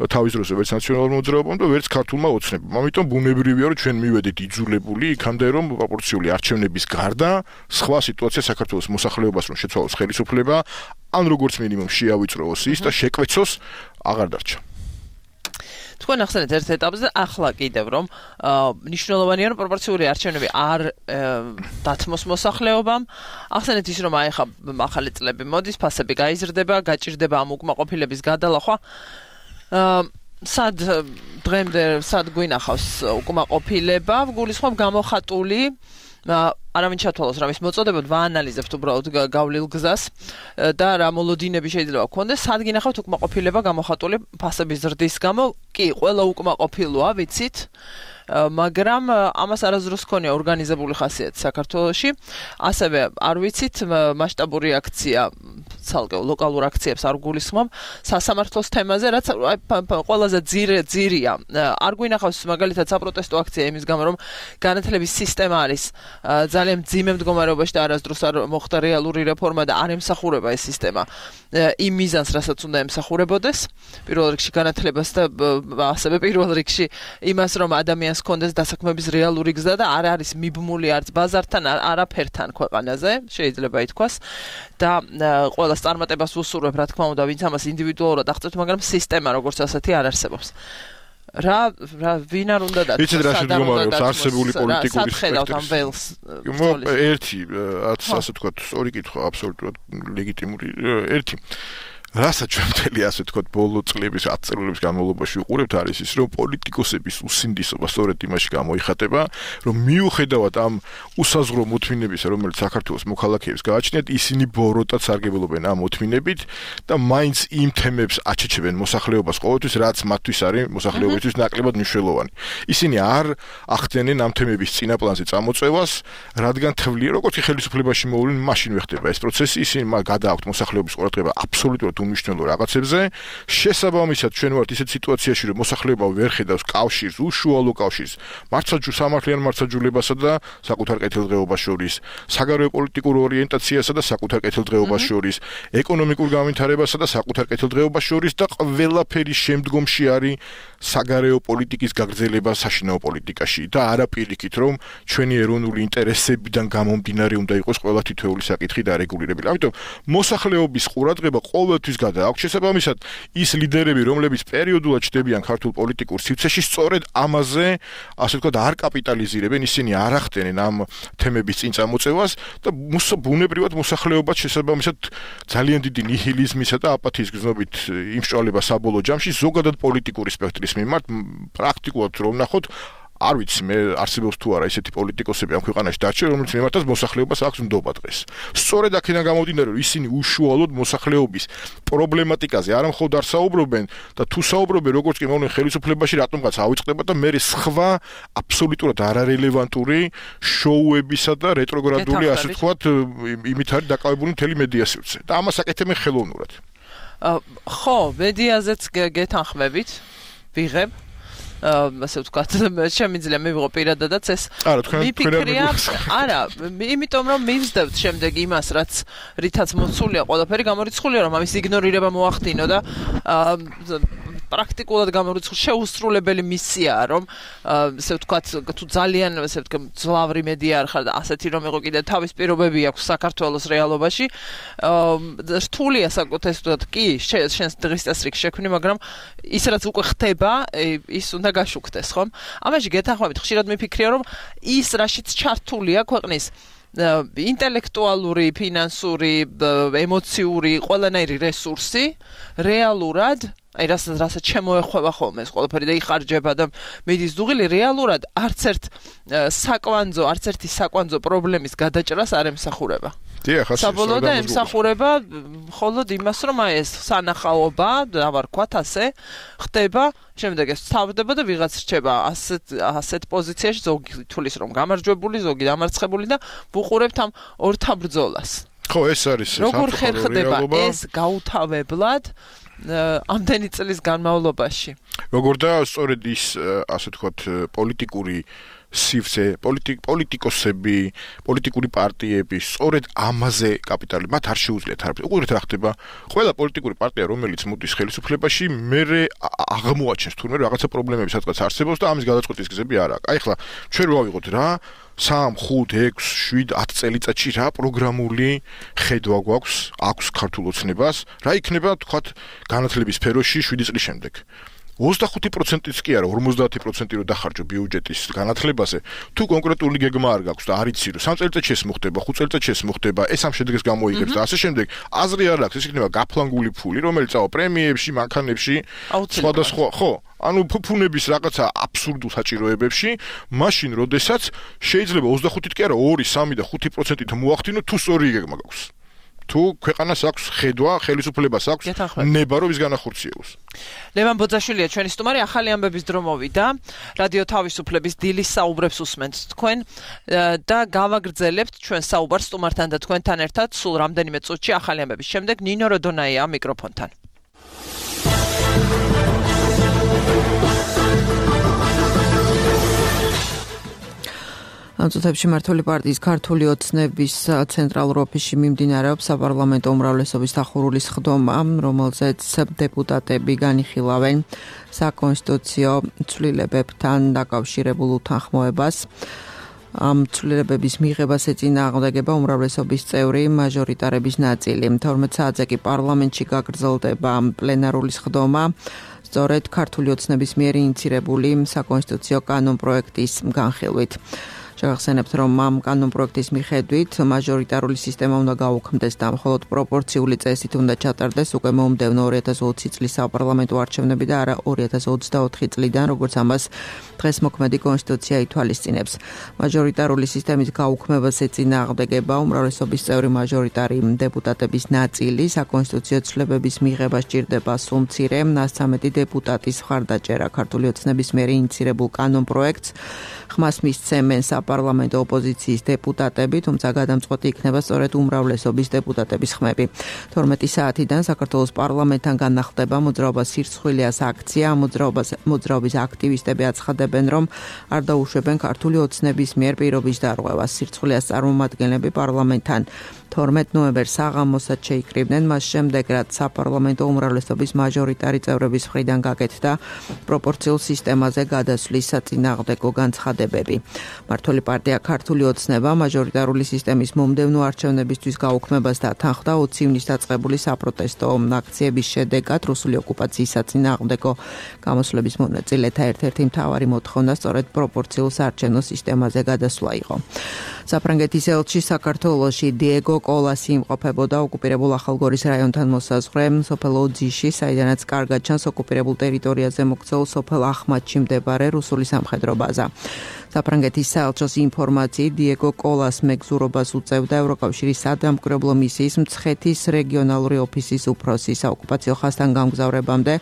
თავის დროზე ვერც ნაციონალურ მოძრაობამ და ვერც ქართულმა ოცნებამ. ამიტომ ბუნებრივია, რომ ჩვენ მივედით იძულებული იქამდე, რომ პროპორციული არჩევნების გარდა სხვა სიტუაცია საქართველოს მოსახლეობას რომ შეცვალოს ხელისუფლება, ან როგორც მინიმუმ შეავიწროოს ის და შეკვეცოს აღარ დარჩა. თქვენ ახსენეთ ერთ ეტაპზე ახლა კიდევ რომ მნიშვნელოვანია რომ პროპორციული არჩევნები არ დათმოს მოსახლეობამ. ახსენეთ ის რომ აი ხა ახალი წლები მოდის, ფასები გაიზრდება, გაჭირდება ამ უკმაყოფილების გადალახვა. დღემდე სად გვინახავს უკმაყოფილება, გულისხმობ გამოხატული არავინ ჩათვალოს რა მის მოწოდებოდ ვაანალიზებთ უბრალოდ გავლილ გზას და რა მოლოდინები შეიძლება გქონდეს, სად გინახავთ უკმაყოფილება გამოხატული ფასების ზრდის გამო? კი, ყველა უკმაყოფილოა, ვიცით. მაგრამ ამას არასდროს ქონია ორგანიზებული ხასიათი საქართველოში. ასევე არ ვიცით მასშტაბური აქცია ცალკე ლოკალურ აქციებს არ გულისხმობ სასამართლოს თემაზე, რაც ყველაზე ძირია. არ გვინახავს მაგალითად საპროტესტო აქცია იმის გამო, რომ განათლების სისტემა არის ძალიან მძიმე მდგომარეობაში და არასდროს არ მოხდა რეალური რეფორმა და არ ემსახურება ეს სისტემა იმ მიზანს, რასაც უნდა ემსახურებოდეს. პირველ რიგში განათლებას და ასევე პირველ რიგში იმას, რომ ადამიანს ჰქონდეს დასაქმების რეალური გზა და არ არის მიბმული არც ბაზართან, არაფერთან ქვეყანაზე, შეიძლება ითქვას. და ყველას წარმატებას ვუსურვებ, რა თქმა უნდა, ვინც ამას ინდივიდუალურად აღწევთ, მაგრამ სისტემა როგორც ასეთი არ არსებობს. ვინ არ უნდა და იცით რა შემდგომარეობს არსებული პოლიტიკური სპექტრის. ერთი, ასე თქვა, სწორი კითხვა, აბსოლუტურად ლეგიტიმური ერთი. რასაც ჩვენ მთელი ასე თქვა ბოლო წლების 10 წლების განმავლობაში ვუყურებთ არის ის რომ პოლიტიკოსების უსინდისობა სწორედ იმაში გამოიხატება რომ მიუხედავად ამ უსაზღვრო მოთმინებისა რომელიც საქართველოს მოქალაქეებს გააჩნიათ ისინი ბოროტად სარგებლობენ ამ მოთმინებით და მაინც იმ თემებს აჩეჩებენ მოსახლეობას ყოველთვის რაც მათთვის არის მოსახლეობისთვის ნაკლებად მნიშვნელოვანი ისინი არ ახდენენ ამ თემების წინაპლანზე წამოწევას რადგან თვლიან როგორც ხელისუფლებაში მოვლენ მაშინ ვეხდება ეს პროცესი ისინი გადააქვთ მოსახლეობის ყურადღება აბსოლუტურად უმნიშვნელო რაღაცებზე შესაბამისად ჩვენ ვართ ისეთ სიტუაციაში რომ მოსახლეობა ვერ ხედავს კავშირს უშუალო კავშირს სამართლიან მართლმსაჯულებასა და საკუთარ კეთილდღეობას შორის საგარეო პოლიტიკურ ორიენტაციასა და საკუთარ კეთილდღეობას შორის ეკონომიკურ განვითარებასა და საკუთარ კეთილდღეობას შორის და ყველაფერი შემდგომში არის საგარეო პოლიტიკის გაგრძელება საშინაო პოლიტიკაში და არა პირიქით რომ ჩვენი ეროვნული ინტერესებიდან გამომდინარე უნდა იყოს ყველა თითოეული საკითხი დარეგულირებული ამიტომ მოსახლეობის ყურადღება ყოველთვის გადააქვთ შესაბამისად ის ლიდერები რომლებიც პერიოდულად ჩდებიან ქართულ პოლიტიკურ სივრცეში სწორედ ამაზე ასე ვთქვათ არ კაპიტალიზირებენ ისინი არ ახდენენ ამ თემების წინ წამოწევას და ბუნებრივად მოსახლეობა შესაბამისად ძალიან დიდი ნიჰილიზმისა და აპათიის გზნობით იმსჭვალება საბოლოო ჯამში ზოგადად პოლიტიკური სპექტრის მიმართ პრაქტიკულად რომ ნახოთ არ ვიცი მე არსებობს თუ არა ისეთი პოლიტიკოსები ამ ქვეყანაში დარჩენ რომელიც მიმართავს მოსახლეობას აქვს ნდობა დღეს სწორედ აქედან გამომდინარე რომ ისინი უშუალოდ მოსახლეობის პრობლემატიკაზე არ მხოლოდ არ საუბრობენ და თუ საუბრობენ როგორც კი მოვლენ ხელისუფლებაში რატომღაც ავიწყდება და მე სხვა აბსოლუტურად არარელევანტური შოუებისა და რეტროგრადული ასე ვთქვათ იმით არის დაკავებული მთელი მედია სივრცე და ამას აკეთებენ ხელოვნურად ხო მედიაზეც გეთანხმებით ვიღებ ასე ვთქვათ, შემიძლია მივიღო პირადადაც ეს მიფიქრია, არა, იმიტომ რომ მივსდევთ შემდეგ იმას, რითაც მოცულია ყველაფერი, გამორიცხულია რომ ამის იგნორირება მოახდინო და პრაქტიკულად გამორიცხული შეუსრულებელი მისიაა, რომ ასე ვთქვათ, თუ ძალიან ასე ვთქვათ, ძლავრი მედია არ ხარ და ასეთი რომ იყო კიდე თავის პირობები აქვს საქართველოს რეალობაში, რთულია საკუთარ ვთქვათ, კი, შენს დღის წესრიგს შექმნი, მაგრამ ის რაც უკვე ხდება, ის უნდა გაშუქდეს, ხომ? ამაში გეთანხმებით, ხშირად მიფიქრია, რომ ის რაშიც ჩართულია ქვეყნის ინტელექტუალური, ფინანსური, ემოციური, ყველანაირი რესურსი რეალურად აი რასაც შემოეხვევა ხოლმე ეს ყველაფერი და იხარჯება და მიდის დუღილი რეალურად არც ერთი საკვანძო პრობლემის გადაჭრას არ ემსახურება. საბოლოოდ ემსახურება მხოლოდ იმას რომ აი ეს სანახაობა დავარქვათ ასე ხდება შემდეგ ეს თავდება და ვიღაც რჩება ასეთ პოზიციაში ზოგი თulis რომ გამარჯვებული ზოგი დამარცხებული და ვუყურებთ ამ ორთა ბრძოლას. ხო ეს არის როგორ ხერხდება ეს გაუთავებლად ამდენი წლის განმავლობაში. როგორ და სწორედ ის ასე ვთქვათ პოლიტიკური სივრცე, პოლიტიკოსები, პოლიტიკური პარტიები სწორედ ამაზე კაპიტალი მათ არ შეუძლიათ არ. უყურეთ რა ხდება. ყველა პოლიტიკური პარტია რომელიც მოდის ხელისუფლებაში, მერე აღმოაჩენს თურმე რაღაცა პრობლემები სადღაც არსებობს და ამის გადაწყვეტის გზები არ აქვს. აი ხლა ჩვენ რო ავიღოთ რა 3, 5, 6, 7, 10 წელიწადში რა პროგრამული ხედვა აქვს ქართულ ოცნებას, რა იქნება თქვათ განათლების სფეროში 7 წლის შემდეგ. 25%-იც კი არა, 50% რო დახარჯო ბიუჯეტის განათლებაზე, თუ კონკრეტული გეგმა არ გაქვს და არ იცი რომ 3 წელიწადში ეს მოხდება, 5 წელიწადში ეს მოხდება, ეს ამ შედეგს გამოიგებს და ასე შემდეგ, აზრი არ აქვს, ეს იქნება გაფლანგული ფული, რომელიც პრემიებში, მანქანებში, სხვადასხვა, ხო, ანუ ფუფუნების რაღაცა აბსურდულ საჭიროებებში, მაშინ როდესაც შეიძლება 25-ით კი არა, 2, 3 და 5%-ით მოახდინო თუ სწორი გეგმა გაქვს. თუ ქვეყანას აქვს ხედვა, ხელისუფლებას აქვს ნება რომ ის განახორციელოს. ლევან ბოძაშვილია ჩვენი სტუმარი, ახალი ამბების დრო მოვიდა. რადიო თავისუფლების დილის საუბრებს უსმენთ თქვენ და გავაგრძელებთ ჩვენ საუბარს სტუმართან და თქვენთან ერთად სულ რამდენიმე წუთში ახალი ამბების შემდეგ ნინო როდონაია მიკროფონთან. ამ წუთებში მართული პარტიის ქართული ოცნების ცენტრალურ ოფისში მიმდინარეობს საპარლამენტო უმრავლესობის დახურული სხდომა, რომელზეც დეპუტატები განიხილავენ საკონსტიტუციო ცვლილებებთან დაკავშირებულ უთანხმოებას. ამ ცვლილებების მიღებას ეწინააღმდეგება უმრავლესობის წევრი მაჟორიტარების ნაწილი. 12 საათზე კი პარლამენტში გაგრძელდება პლენარული სხდომა. სწორედ ქართული ოცნების მიერ ინიცირებული საკონსტიტუციო კანონპროექტის განხილვით. შევახსენებთ, რომ ამ კანონპროექტის მიხედვით მაჟორიტარული სისტემა უნდა გაუქმდეს და მხოლოდ პროპორციული წესით უნდა ჩატარდეს უკვე მომდევნო 2020 წლის საპარლამენტო არჩევნები და არა 2024 წლიდან, როგორც ამას დღეს მოქმედი კონსტიტუცია ითვალისწინებს. მაჟორიტარული სისტემის გაუქმებას ეწინააღმდეგება უმრავლესობის წევრი მაჟორიტარი დეპუტატების ნაწილი. საკონსტიტუციო ცვლილებების მიღება სჭირდება სულ მცირე 113 დეპუტატის მხარდაჭერა. ქართული ოცნების მიერ ინიცირებულ კანონპროექტს ხმას მისცემენ საპარლამენტო ოპოზიციის დეპუტატები, თუმცა გადამწყვეტი იქნება სწორედ უმრავლესობის დეპუტატების ხმები. 12 საათიდან საქართველოს პარლამენტთან განახლდება მოძრაობა სირცხვილიას აქცია. მოძრაობის აქტივისტები აცხადებენ, რომ არ დაუშვებენ ქართული ოცნების მიერ პირობის დარღვევას. სირცხვილიას წარმომადგენლები პარლამენტთან 12 ნოემბერს საღამოსაც შეიკრიბნენ, მას შემდეგ რაც საპარლამენტო უმრავლესობის მაჟორიტარი წევრების მხრიდან გაკეთდა პროპორციულ სისტემაზე გადასვლის საწინააღმდეგო განცხადებები. მართული პარტია ქართული ოცნება მაჟორიტარული სისტემის მომდევნო არჩევნებისთვის გაუქმებას დათანხმდა 20 ივნისს დაწყებული საპროტესტო აქციების შედეგად. რუსული ოკუპაციის საწინააღმდეგო გამოსვლების მონაწილეთა ერთ-ერთი მთავარი მოთხოვნა სწორედ პროპორციულ საარჩევნო სისტემაზე გადასვლა იყო. საფრანგეთის ელჩი საქართველოში დიეგო კოლასი იმყოფებოდა ოკუპირებულ ახალგორის რაიონთან მოსაზღვრე სოფელ ოძიში, საიდანაც კარგად ჩანს ოკუპირებულ ტერიტორიაზე მოქცეულ სოფელ ახმათში მდებარე რუსული სამხედრო ბაზა. საფრანგეთის საელჩოს ინფორმაციით დიეგო კოლას მეგზურობას უწევდა ევროკავშირის სადამკვირვებლო მისიის მცხეთის რეგიონალური ოფისის უფროსი. საოკუპაციო ხაზთან გამგზავრებამდე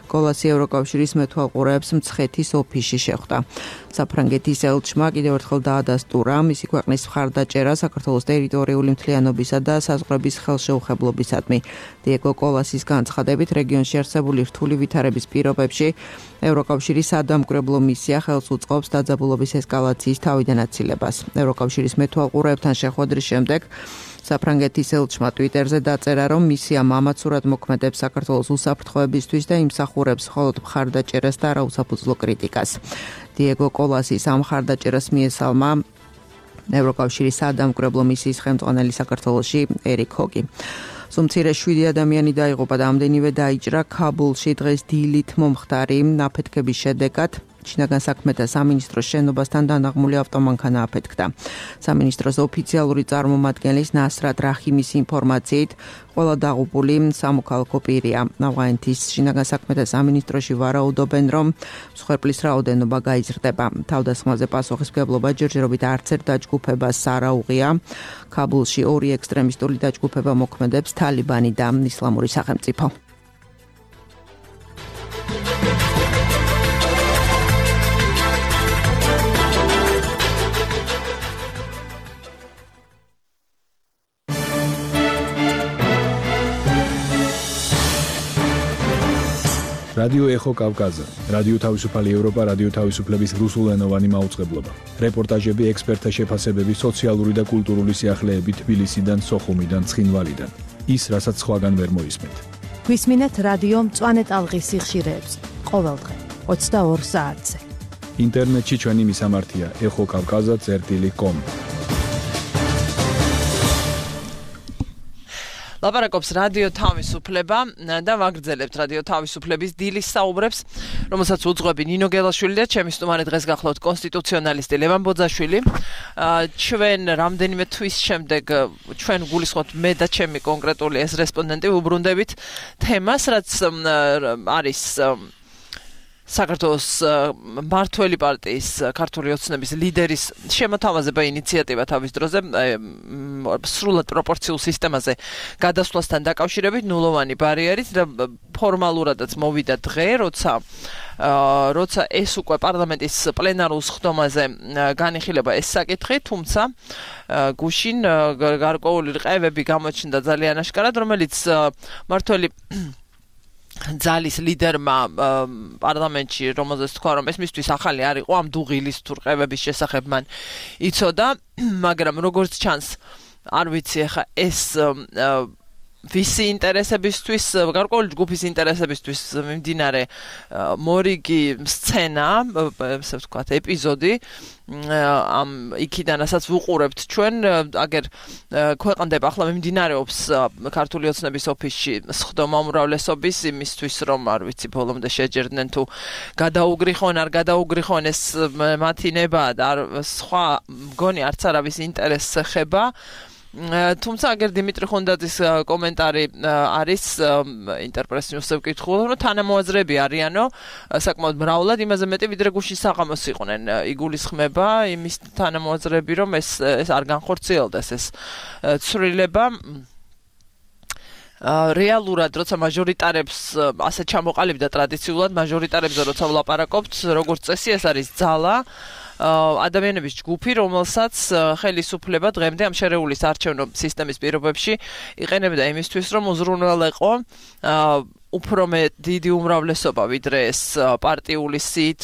კოლასი ევროკავშირის მეთვალყურეებს მცხეთის ოფისში შეხვდა. საფრანგეთის ელჩმა კიდევ ერთხელ დაადასტურა მისი ქვეყნის მხარდაჭერა საქართველოს ტერიტორიული მთლიანობისა და საზღვრების ხელშეუხებლობისადმი. დიეგო კოლასის განცხადებით, რეგიონში არსებული რთული ვითარების პირობებში ევროკავშირის სადამკვირვებლო მისია ხელს უწყობს დაძაბულობის ესკალაციის თავიდან აცილებას. ევროკავშირის მეთვალყურეებთან შეხვედრის შემდეგ საფრანგეთის ელჩმა ტვიტერზე დაწერა, რომ მისია მამაცურად მოქმედებს საქართველოს უსაფრთხოებისთვის და იმსახურებს მხოლოდ მხარდაჭერას და არა უსაფუძვლო კრიტიკას. დიეგო კოლასის ამ მხარდაჭერას მიესალმა ევროკავშირის სადამკვირვებლო მისიის ხელმძღვანელი საქართველოში ერიკ ჰოგი. სულ მცირე 7 ადამიანი დაიღუპა და ამდენივე დაიჭრა ქაბულში დღეს დილით მომხდარი აფეთქების შედეგად. შინაგან საქმეთა სამინისტროს შენობასთან დანაღმული ავტომანქანა აფეთქდა. სამინისტროს ოფიციალური წარმომადგენლის ნასრატ რაჰიმის ინფორმაციით, ყველა დაღუპული სამოქალაქო პირია. ავღანეთის შინაგან საქმეთა სამინისტროში ვარაუდობენ, რომ მსხვერპლის რაოდენობა გაიზრდება. თავდასხმაზე პასუხისმგებლობა ჯერჯერობით არც ერთ დაჯგუფებას არ აუღია. ქაბულში ორი ექსტრემისტული დაჯგუფება მოქმედებს, თალიბანი და ისლამური სახელმწიფო. რადიო ეხო კავკაზა, რადიო თავისუფალი ევროპა, რადიო თავისუფლების რუსულენოვანი მაუწყებლობა. რეპორტაჟები, ექსპერტთა შეფასებები, სოციალური და კულტურული სიახლეები თბილისიდან, სოხუმიდან, ცხინვალიდან. ის, რასაც სხვაგან ვერ მოისმენთ. გვისმინეთ რადიო მწვანე ტალღის სიხშირეებს, ყოველდღე 22 საათზე. ინტერნეტში ჩვენი მისამართია exokavkaza.com. ლაპარაკობს რადიო თავისუფლება და ვაგრძელებთ რადიო თავისუფლების დილის საუბრებს, რომელსაც უძღვები ნინო გელაშვილი და ჩემი სტუმარი დღეს გახლავთ კონსტიტუციონალისტი ლევან ბოძაშვილი. ჩვენ რამდენიმე თვის შემდეგ ჩვენ გულისხმობთ მე და ჩემი კონკრეტული ეს რესპონდენტი უბრუნდებით თემას, რაც არის საქართველოს მართველი პარტიის ქართული ოცნების ლიდერის შემოთავაზება ინიციატივა თავის დროზე სრულად პროპორციულ სისტემაზე გადასვლასთან დაკავშირებით ნულოვანი ბარიერით და ფორმალურადაც მოვიდა დღე, როცა ეს უკვე პარლამენტის პლენარულ სხდომაზე განიხილება ეს საკითხი, თუმცა გუშინ გარკვეული რყევები გამოჩნდა ძალიან აშკარად, რომელიც მართველი ძალის ლიდერმა პარლამენტში, რომელზეც თქვა, რომ ეს მისთვის ახალი არ იყო, ამ დუღილის თუ რყევების შესახებ მან იცოდა, მაგრამ როგორც ჩანს, არ ვიცი ახლა ეს ვისი ინტერესებისთვის, გარკვეული ჯგუფის ინტერესებისთვის მიმდინარე მორიგი სცენა, ესე ვთქვათ, ეპიზოდი ამ იქიდან ასაც ვუყურებთ ჩვენ, აგერ ქვეყანდება ახლა მიმდინარეობს ქართული ოცნების ოფისში სხდომა უმრავლესობის იმისთვის, რომ არ ვიცი ბოლომდე შეჯერდნენ თუ გადაუგრიხონ, არ გადაუგრიხონ ეს მათი ნება და სხვა მგონი არც არავის ინტერესს ეხება. თუმცა აგერ დიმიტრი ხონდაძის კომენტარი არის ინტერპრეს ნიუსზე ვკითხულ, რომ თანამოაზრეები არიანო საკმაოდ მრავლად, იმაზე მეტი ვიდრე გუშინ საღამოს იყვნენ. იგულისხმება იმის თანამოაზრეები, რომ ეს არ განხორციელდეს ეს ცვლილება. რეალურად, როცა მაჟორიტარებს ასე ჩამოყალიბდა ტრადიციულად მაჟორიტარებზე როცა ვლაპარაკობთ, როგორც წესი ეს არის ძალა ადამიანების ჯგუფი, რომელსაც ხელისუფლება დღემდე ამ შერეულის არჩევნო სისტემის პირობებში იყენებდა იმისთვის, რომ უზრუნველეყო უფრო დიდი უმრავლესობა, ვიდრე ეს პარტიული სიით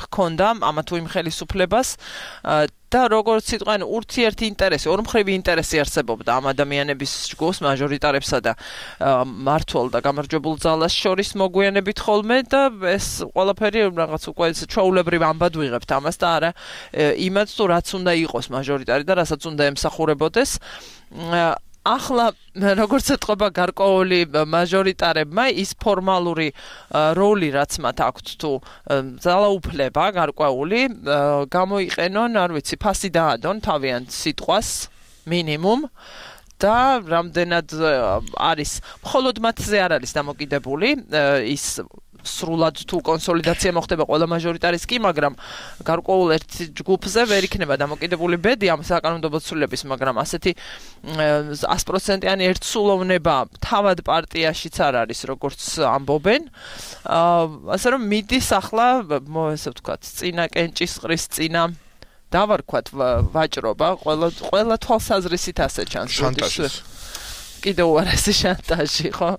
ჰქონდა ამა თუ იმ ხელისუფლებას და როგორც სიტყვან ურთიერთი ინტერესი, ორმხრივი ინტერესი არსებობდა ამ ადამიანების ჯგუფს, მაჟორიტარებსა და მმართველ და გამარჯვებულ ძალას შორის მოგვიანებით ხოლმე და ეს ყველაფერი რაღაც უკვე ჩვეულებრივ ამბად ვიღებთ ამას და არა იმაც თუ რაც უნდა იყოს მაჟორიტარი და რასაც უნდა ემსახურებოდეს. ახლა როგორც ეთყობა გარკვეული მაჟორიტარებმა ის ფორმალური როლი რაც მათ აქვთ თუ ძალაუფლება გარკვეული გამოიყენონ, არ ვიცი, ფასი დაადონ თავიანთ სიტყვას მინიმუმ და რამდენად არის მხოლოდ მათზე არ არის დამოკიდებული ის სრულად თუ კონსოლიდაცია მოხდება ყველა მაჟორიტარის კი, მაგრამ გარკვეულ ერთ ჯგუფზე ვერ იქნება დამოკიდებული ბედი ამ საკანონმდებლო ცვლილების, მაგრამ ასეთი 100%-იანი ერთსულოვნება თავად პარტიაშიც არ არის, როგორც ამბობენ. ასე რომ მიდის ახლა, ესე ვთქვათ, წინა კენჭისყრის წინა დავარქვათ ვაჭრობა, ყველა თვალსაზრისით ასე ჩანს. შანტაჟი. კიდევ უარესი შანტაჟი, ხო?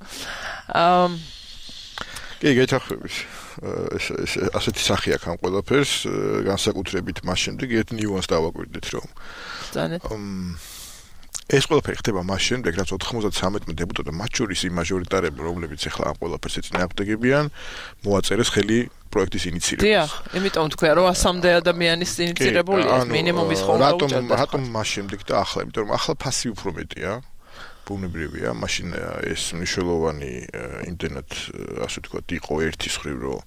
კი, გეთახმებით. ასეთი სახე აქვს ამ ყველაფერს, განსაკუთრებით მას შემდეგ ერთ ნიუანსს დავაკვირდით, რომ ეს ყველაფერი ხდება მას შემდეგ, რაც 93 დეპუტატი, მათ შორის იმ მაჟორიტარები, რომლებიც ახლა ამ ყველაფერს ეწინააღმდეგებიან, მოაწერეს ხელი პროექტის ინიციირებას. დიახ, იმიტომ თქვია, რომ 100-მდე ადამიანის ინიციირებულია, მინიმუმის ხომ რატომ მას შემდეგ და ახლა, იმიტომ რომ ახლა ფასი უფრო მეტია. ბუნებრივია, მაშინ ეს მნიშვნელოვანი იმდენად, ასე ვთქვათ, იყო ერთის ხრივ, რომ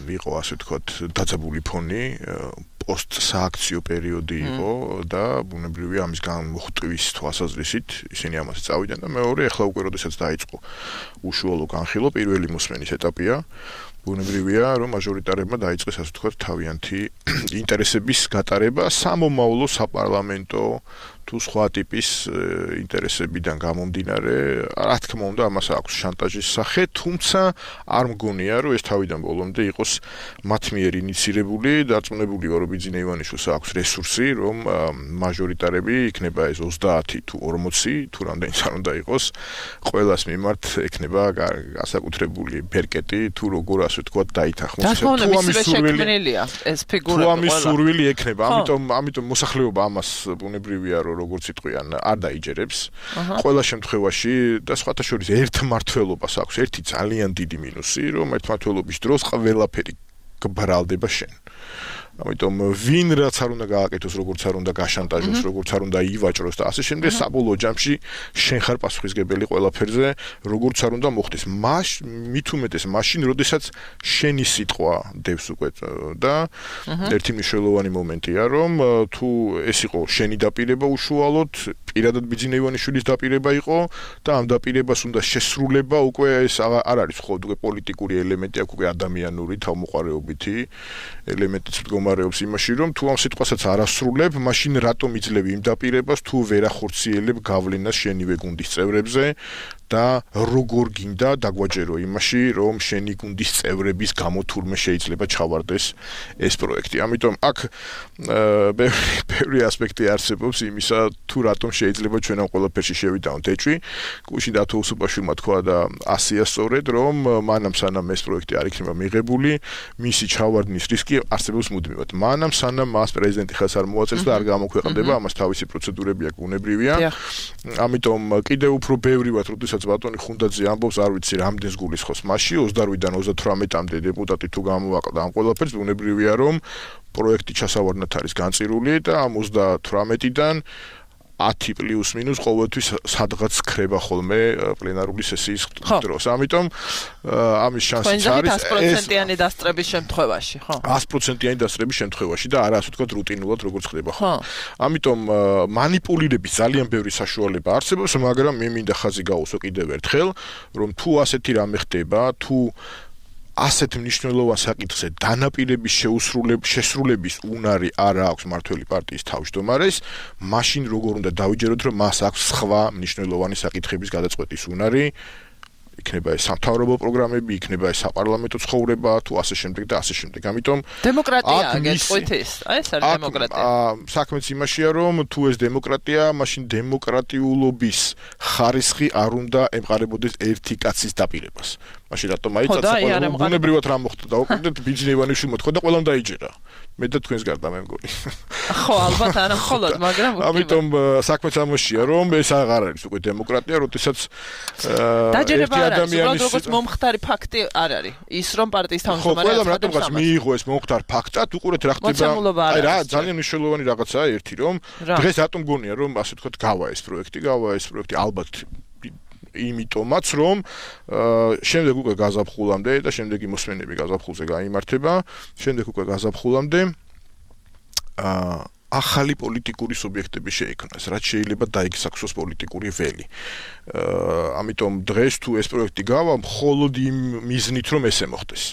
იყო, ასე ვთქვათ, დაძაბული ფონი, პოსტ-სააქციო პერიოდი იყო და ბუნებრივია ამის გამოხტვის თვალსაზრისით ისინი ამაზე წავიდნენ და მეორე, ახლა უკვე როდესაც დაიწყო უშუალო განხილვა, პირველი მოსმენის ეტაპია, ბუნებრივია, რომ მაჟორიტარებმა დაიწყეს, ასე ვთქვათ, თავიანთი ინტერესების გატარება სამომავლო საპარლამენტო თუ სხვა ტიპის ინტერესებიდან გამომდინარე, რა თქმა უნდა, ამას აქვს შანტაჟის სახე, თუმცა არ მგონია, რომ ეს თავიდან ბოლომდე იყოს მათ მიერ ინიცირებული, დარწმუნებული ვარ, რომ ბიძინა ივანიშვილს აქვს რესურსი, რომ მაჟორიტარები იქნება ეს 30 თუ 40, თუ რამდენიც არ უნდა იყოს, ყველას მიმართ ექნება განსაკუთრებული ბერკეტი, თუ როგორ ასე ვთქვათ, დაითანხმოს. თუ ამის შექმნილია ეს ფიგურა. თუ ამის სურვილი ექნება, ამიტომ მოსახლეობა ამას ბუნებრივია, რომ როგორც იტყვიან, არ დაიჯერებს. ყველა შემთხვევაში და სხვათა შორის ერთმართველობას აქვს ერთი ძალიან დიდი მინუსი, რომ ერთმართველობის დროს ყველაფერი გბრალდება შენ. ამიტომ ვინ რაც არ უნდა გააკეთოს, როგორც არ უნდა გაშანტაჟოს, როგორც არ უნდა ივაჭროს და ასე შემდეგ, საბოლოო ჯამში შენ ხარ პასუხისგებელი ყველაფერზე, როგორც არ უნდა მოხდეს. მით უმეტეს მაშინ, როდესაც შენი სიტყვა დევს უკვე და ერთი მნიშვნელოვანი მომენტია, რომ თუ ეს იყო შენი დაპირება უშუალოდ, პირადად ბიძინა ივანიშვილის დაპირება იყო და ამ დაპირებას უნდა შესრულება უკვე ეს არ არის მხოლოდ უკვე პოლიტიკური ელემენტი, აქ უკვე ადამიანური თავმოყარეობითი ელემენტიც მდგომარეობს იმაში, რომ თუ ამ სიტყვასაც არ ასრულებ, მაშინ რატომ იძლევი იმ დაპირებას, თუ ვერ ახორციელებ გავლენას შენივე გუნდის წევრებზე და როგორ გინდა დაგვაჯერო იმაში, რომ შენი გუნდის წევრების გამო თურმე შეიძლება ჩავარდეს ეს პროექტი. ამიტომ აქ ბევრი ასპექტი არსებობს იმისა, თუ რატომ შეიძლება ჩვენ ამ ყველაფერში შევიდავნოთ ეჭვი. გუშინ დათო უსუპაშვილმა თქვა და ასია სწორედ, რომ მანამ სანამ ეს პროექტი არ იქნება მიღებული, მისი ჩავარდნის რისკი არსებობს მუდმივად. მანამ სანამ მას პრეზიდენტი ხელს არ მოაწევს და არ გამოქვეყნდება, ამას თავისი პროცედურები აქვს, ბუნებრივია. ამიტომ კიდევ უფრო ბევრი ვართ, როდესაც ბატონი ხუნდაძე ამბობს, არ ვიცი რამდენს გულისხმობს მასში 28-დან 38-მდე დეპუტატი თუ გამოვაყდა ამ ყველაფერს, ბუნებრივია რომ პროექტი ჩასავარდნად არის განწირული და ამ 38-დან 10 პლუს მინუს ყოველთვის სადღაც ხრება ხოლმე პლენარული სესიის დროს. ამიტომ ამის შანსიც არის 100%-იანი დასწრების შემთხვევაში, ხო? 100%-იანი დასწრების შემთხვევაში და არა ასე ვთქვათ რუტინულად როგორც ხდება ხოლმე. ამიტომ მანიპულირების ძალიან ბევრი საშუალება არსებობს, მაგრამ მე მინდა ხაზი გაუსვა კიდევ ერთხელ, რომ თუ ასეთი რამე ხდება, თუ ასეთ მნიშვნელოვან საკითხზე დანაპირების შესრულების უნარი არ აქვს მართველი პარტიის თავმჯდომარეს, მაშინ როგორ უნდა დავიჯეროთ, რომ მას აქვს სხვა მნიშვნელოვანი საკითხების გადაწყვეტის უნარი, იქნება ეს სამთავრობო პროგრამები, იქნება ეს საპარლამენტო ცხოვრება, თუ ასე შემდეგ და ასე შემდეგ. ამიტომ დემოკრატია გეტყვით ეს არის დემოკრატია. საქმეც იმაშია, რომ თუ ეს დემოკრატია, მაშინ დემოკრატიულობის ხარისხი არ უნდა ემყარებოდეს ერთი კაცის დაპირებას. მაშინ რატომ აიწაცა ყველა ბუნებრივად რა მოხდა და უკიდეთ ბიძინა ივანიშვილმა თქვა და ყველამ დაიჯერა. მე და თქვენს გარდა მე მგონი. ხო, ალბათ არა მხოლოდ, მაგრამ ამიტომ საქმეც ამაშია, რომ ეს აღარ არის უკვე დემოკრატია, როდესაც დაჯერება არ არის, უბრალოდ როგორც მომხდარი ფაქტი არ არის. ის რომ პარტიის თავმჯდომარე ხო, ყველამ რატომღაც მიიღო ეს მომხდარ ფაქტად, უყურეთ რა ხდება. აი რა, ძალიან მნიშვნელოვანი რაღაცაა ერთი, რომ დღეს რატომ გონია, რომ ასე ვთქვათ, გავა ეს პროექტი ალბათ იმიტომაც რომ შემდეგ უკვე გაზაფხულამდე და შემდეგი მოსმენები გაზაფხულზე გაიმართება, შემდეგ უკვე გაზაფხულამდე ახალი პოლიტიკური სუბიექტები შეიქმნას, რაც შეიძლება დაიგსახსოს პოლიტიკური ველი. ამიტომ დღეს თუ ეს პროექტი გავა, მხოლოდ იმ მიზნით რომ ესე მოხდეს.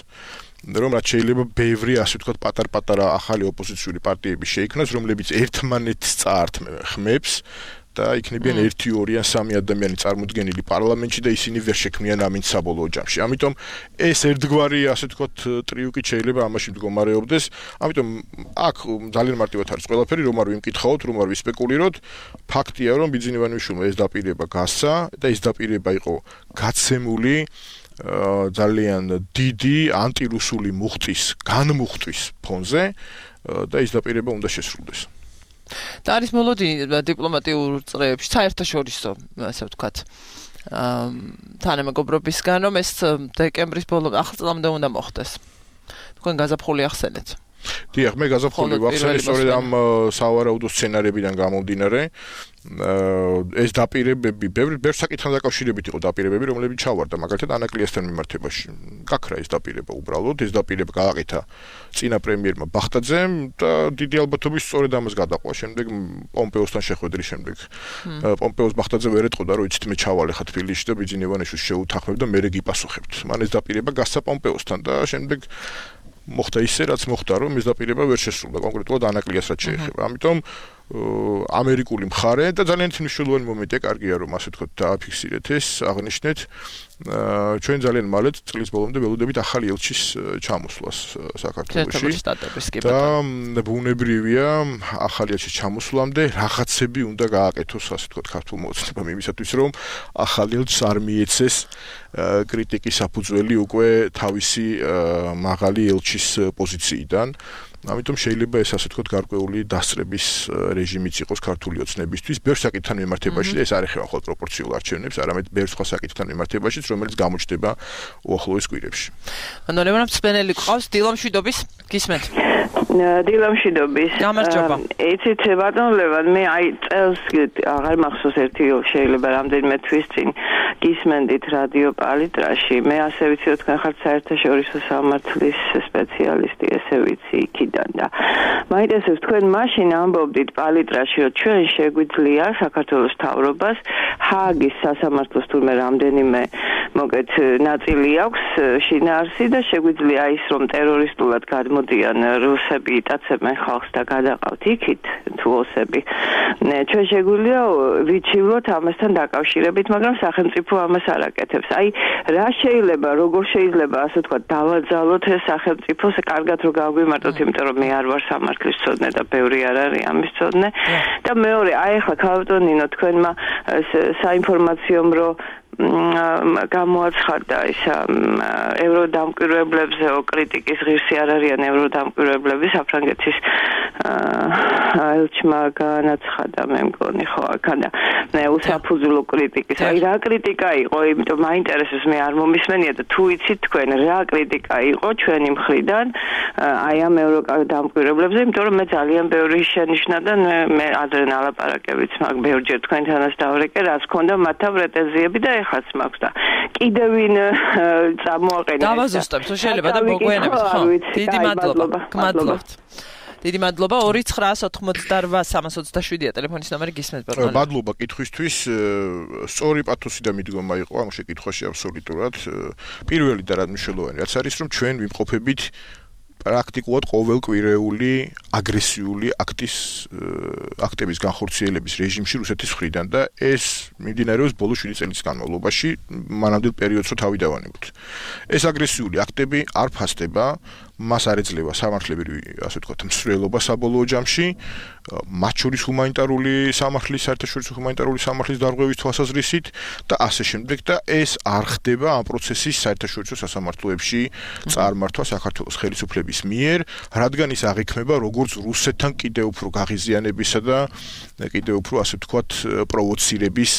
რომ რაც შეიძლება ბევრი ასე ვთქვათ პატარ-პატარა ახალი ოპოზიციური პარტიები შეიქმნას, რომლებიც ერთმანეთს წაართმევს და იქნებიან 1, 2 ან 3 ადამიანი წარმოდგენილი პარლამენტში და ისინი ვერ შექმნიან ამინდს საბოლოო ჯამში. ამიტომ ეს ერთგვარი ასე ვთქვათ ტრიუკი შეიძლება ამაში მდგომარეობდეს. ამიტომ აქ ძალიან მარტივად არის ყველაფერი, რომ არ ვიმკითხავთ, რომ არ ვისპეკულიროთ. ფაქტია, რომ ბიძინა ივანიშვილმა ეს დაპირება გასცა და ეს დაპირება იყო გაცემული ძალიან დიდი ანტირუსული მუხტის განმუხტვის ფონზე და ეს დაპირება უნდა შესრულდეს. და არის მოლოდინი დიპლომატიურ წრეებში, საერთაშორისო, ასე ვთქვათ, თანამეგობრობისგან, რომ ეს დეკემბრის ბოლომდე, ახალ წლამდე უნდა მოხდეს. თქვენ გაზაფხული ახსენეთ. დიახ, მე გაზაფხული ვახსენე სწორედ ამ სავარაუდო სცენარებიდან გამომდინარე. ეს დაპირებები, ბევრ საკითხთან დაკავშირებით იყო დაპირებები, რომლებიც ჩავარდა, მაგალითად ანაკლიასთან მიმართებაში. გაქრა ეს დაპირება უბრალოდ, ეს დაპირება გააკეთა წინა პრემიერმა ბახტაძემ და დიდი ალბათობით სწორედ ამას გადაყვა. შემდეგ პომპეოსთან შეხვედრის შემდეგ. პომპეოს ბახტაძე ვერ ეტყოდა, რომ იცით მე ჩავალ ხა თბილისში და ბიძინა ივანიშვილს შეუთანხმებ და მე გიპასუხებთ. მან ეს დაპირება გასცა პომპეოსთან და შემდეგ მოხდა ისე, რაც მოხდა, რომ ეს დაპირება ვერ შესრულდა, კონკრეტულად ანაკლიას რაც შეეხება. ამიტომ ამერიკული მხარე და ძალიან მნიშვნელოვანი მომენტია, კარგია რომ ასე ვთქვათ დააფიქსირეთ ეს, აღნიშნეთ. ჩვენ ძალიან მალე წლის ბოლომდე ველოდებით ახალი ელჩის ჩამოსვლას საქართველოში. და ბუნებრივია ახალი ელჩის ჩამოსვლამდე რაღაცები უნდა გააკეთოს, ასე ვთქვათ, ქართულ მოცნებამ იმისათვის, რომ ახალი ელჩს არ მიეცეს კრიტიკის საფუძველი უკვე თავისი მაღალი ელჩის პოზიციიდან. ამიტომ შეიძლება ეს ასე ვთქვათ გარკვეული დასწრების რეჟიმიც იყოს ქართული ოცნებისთვის ბევრ საკითხთან მიმართებაში და ეს არ ეხება მხოლოდ პროპორციულ არჩევნებს, არამედ ბევრ სხვა საკითხთან მიმართებაშიც, რომელიც გამოჩნდება უახლოეს კვირებში. ანუ მსმენელი გყავს დილამშვიდობის, გისმენთ. დილამშვიდობის. გამარჯობა. იცით ბატონ ლევან, მე წელს აღარ მახსოვს ერთი შეიძლება რამდენიმე თვის წინ გისმენდით რადიო პალიტრაში. მე ასე ვიცი, რომ თქვენ ხართ საერთაშორისო სამართლის სპეციალისტი, ესე ვიცი იქიდან და მაინტერესებს თქვენ მაშინ ამბობდით პალიტრაში, რომ ჩვენ შეგვიძლია საქართველოს მთავრობას ჰააგის სასამართლოს თურმე რამდენიმე მოგეთ ნაწილი აქვს შინაარსი და შეგვიძლია ის რომ ტერორისტულად გადმოდიან რუსები იტაცებენ ხალხს და გადაყავთ იქით თუ ოსები. ჩვენ შეგვიძლია ვიცილოთ ამასთან დაკავშირებით, მაგრამ სახელმწიფო ამას არ აკეთებს. აი რა შეიძლება, როგორ შეიძლება ასე თქვა დავაძალოთ ეს სახელმწიფო, კარგად რომ გავგვიმარტოთ, იმიტომ რომ მე არ ვარ სამართლის მცოდნე და ბევრი არ არის ამის მცოდნე. და მეორე, აი ახლა ქალბატონინო თქვენმა საინფორმაციო რომ გამოაცხადა ის ევროდამკვირვებლებზე კრიტიკის ღირსი არ არიან ევროდამკვირვებლები საფრანგეთის ელჩმა განაცხადა მე მგონი ხო აქადა უსაფუძვლო კრიტიკის აი რა კრიტიკა იყო იმიტომ მაინტერესებს მე არ მომისმენია და თუ იცით თქვენ რა კრიტიკა იყო ჩვენი მხრიდან აი ამ ევროდამკვირვებლებზე იმიტომ რომ მე ძალიან ბევრი შენიშნა და მე ადრე ნალაპარაკებიც მაგ ბევრჯერ თქვენთანაც დავრეკე რაც ქონდა მათთან პრეტენზიები და ეხლაც მაქვს და კიდევ ვინ წამოაყენა დავაზუსტებ თუ შეიძლება და მოგვიანებით ხო დიდი მადლობა გმადლობთ დიდი მადლობა 2988-327-ია ტელეფონის ნომერი გისმენთ ბატონო მადლობა კითხვისთვის სწორი პათოსი და მიდგომა იყო ამ შეკითხვაში აბსოლუტურად პირველი და რა მნიშვნელოვანი რაც არის რომ ჩვენ ვიმყოფებით პრაქტიკულად ყოველკვირეული აგრესიული აქტების განხორციელების რეჟიმში რუსეთის მხრიდან და ეს მიმდინარეობს ბოლო 7 წელიწადის განმავლობაში მანამდელ პერიოდს რო თავი დავანებოთ. ეს აგრესიული აქტები არ ფასდება, მას არ ეძლევა სამართლებრივი, ასე ვთქვათ, მსვლელობა საბოლოო ჯამში, მათ შორის ჰუმანიტარული სამართლის, საერთაშორისო ჰუმანიტარული სამართლის დარღვევის თვალსაზრისით და ასე შემდეგ და ეს არ ხდება ამ პროცესის საერთაშორისო სასამართლოებში წარმართვა საქართველოს ხელისუფლების მიერ, რადგან ის აღიქმება როგორც რუსეთთან კიდევ უფრო გაღიზიანებისა და კიდევ უფრო ასე ვთქვათ პროვოცირების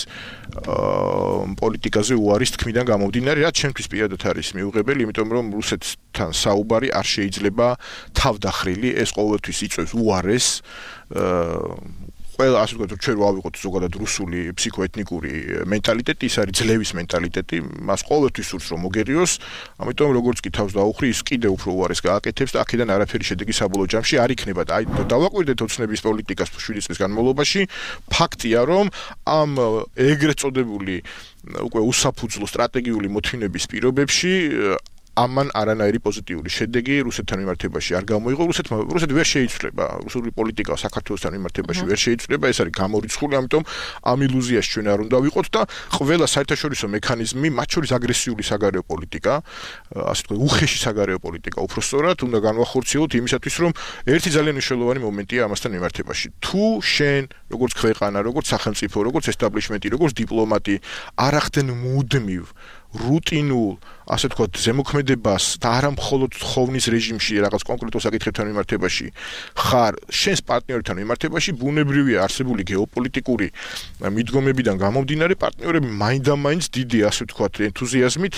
პოლიტიკაზე უარის თქმიდან გამომდინარე, რაც ჩემთვის პირადად არის მიუღებელი, იმიტომ რომ რუსეთთან საუბარი არ შეიძლება თავდახრილი, ეს ყოველთვის იწვევს უარეს ყველა ასე ვთქვათ, ჩვენ ვავიღოთ ზოგადად რუსული ფსიქოეთნიკური მენტალიტეტი, ის არის ძლევის მენტალიტეტი, მას ყოველთვის სურს რომ მოგერიოს, ამიტომ როგორც კი თავს დაუხრი, ის კიდევ უფრო უარეს გააკეთებს და აქედან არაფერი შედეგი საბოლოო ჯამში არ იქნება და აი დავაკვირდეთ ოცნების პოლიტიკას 7 წლის განმავლობაში, ფაქტია რომ ამ ეგრეთ წოდებული უკვე უსაფუძვლო სტრატეგიული მოთმინების პირობებში ამან არანაირი პოზიტიური შედეგი რუსეთთან მიმართებაში არ გამოიღო. რუსეთი ვერ შეიცვლება, რუსული პოლიტიკა საქართველოსთან მიმართებაში ვერ შეიცვლება, ეს არის გამორიცხული, ამიტომ ამ ილუზიაში ჩვენ არ უნდა ვიყოთ და ყველა საერთაშორისო მექანიზმი, მათ შორის აგრესიული საგარეო პოლიტიკა, ასე ვთქვათ, უხეში საგარეო პოლიტიკა, უბრალოდ უნდა განვახორციელოთ იმისათვის, რომ ერთი ძალიან მნიშვნელოვანი მომენტია ამასთან მიმართებაში. თუ შენ, როგორც ქვეყანა, როგორც სახელმწიფო, როგორც ესტაბლიშმენტი, როგორც დიპლომატი არ ახდენ მუდმივ რუტინულ, ასე ვთქვათ, ზემოქმედებას და არა მხოლოდ ხოვნის რეჟიმში რაღაც კონკრეტულ საკითხებთან მიმართებაში, ხარ შენს პარტნიორთან მიმართებაში, ბუნებრივია არსებული გეოპოლიტიკური მიდგომებიდან გამომდინარე, პარტნიორები მაინდამაინც დიდი, ასე ვთქვათ, ენთუზიაზმით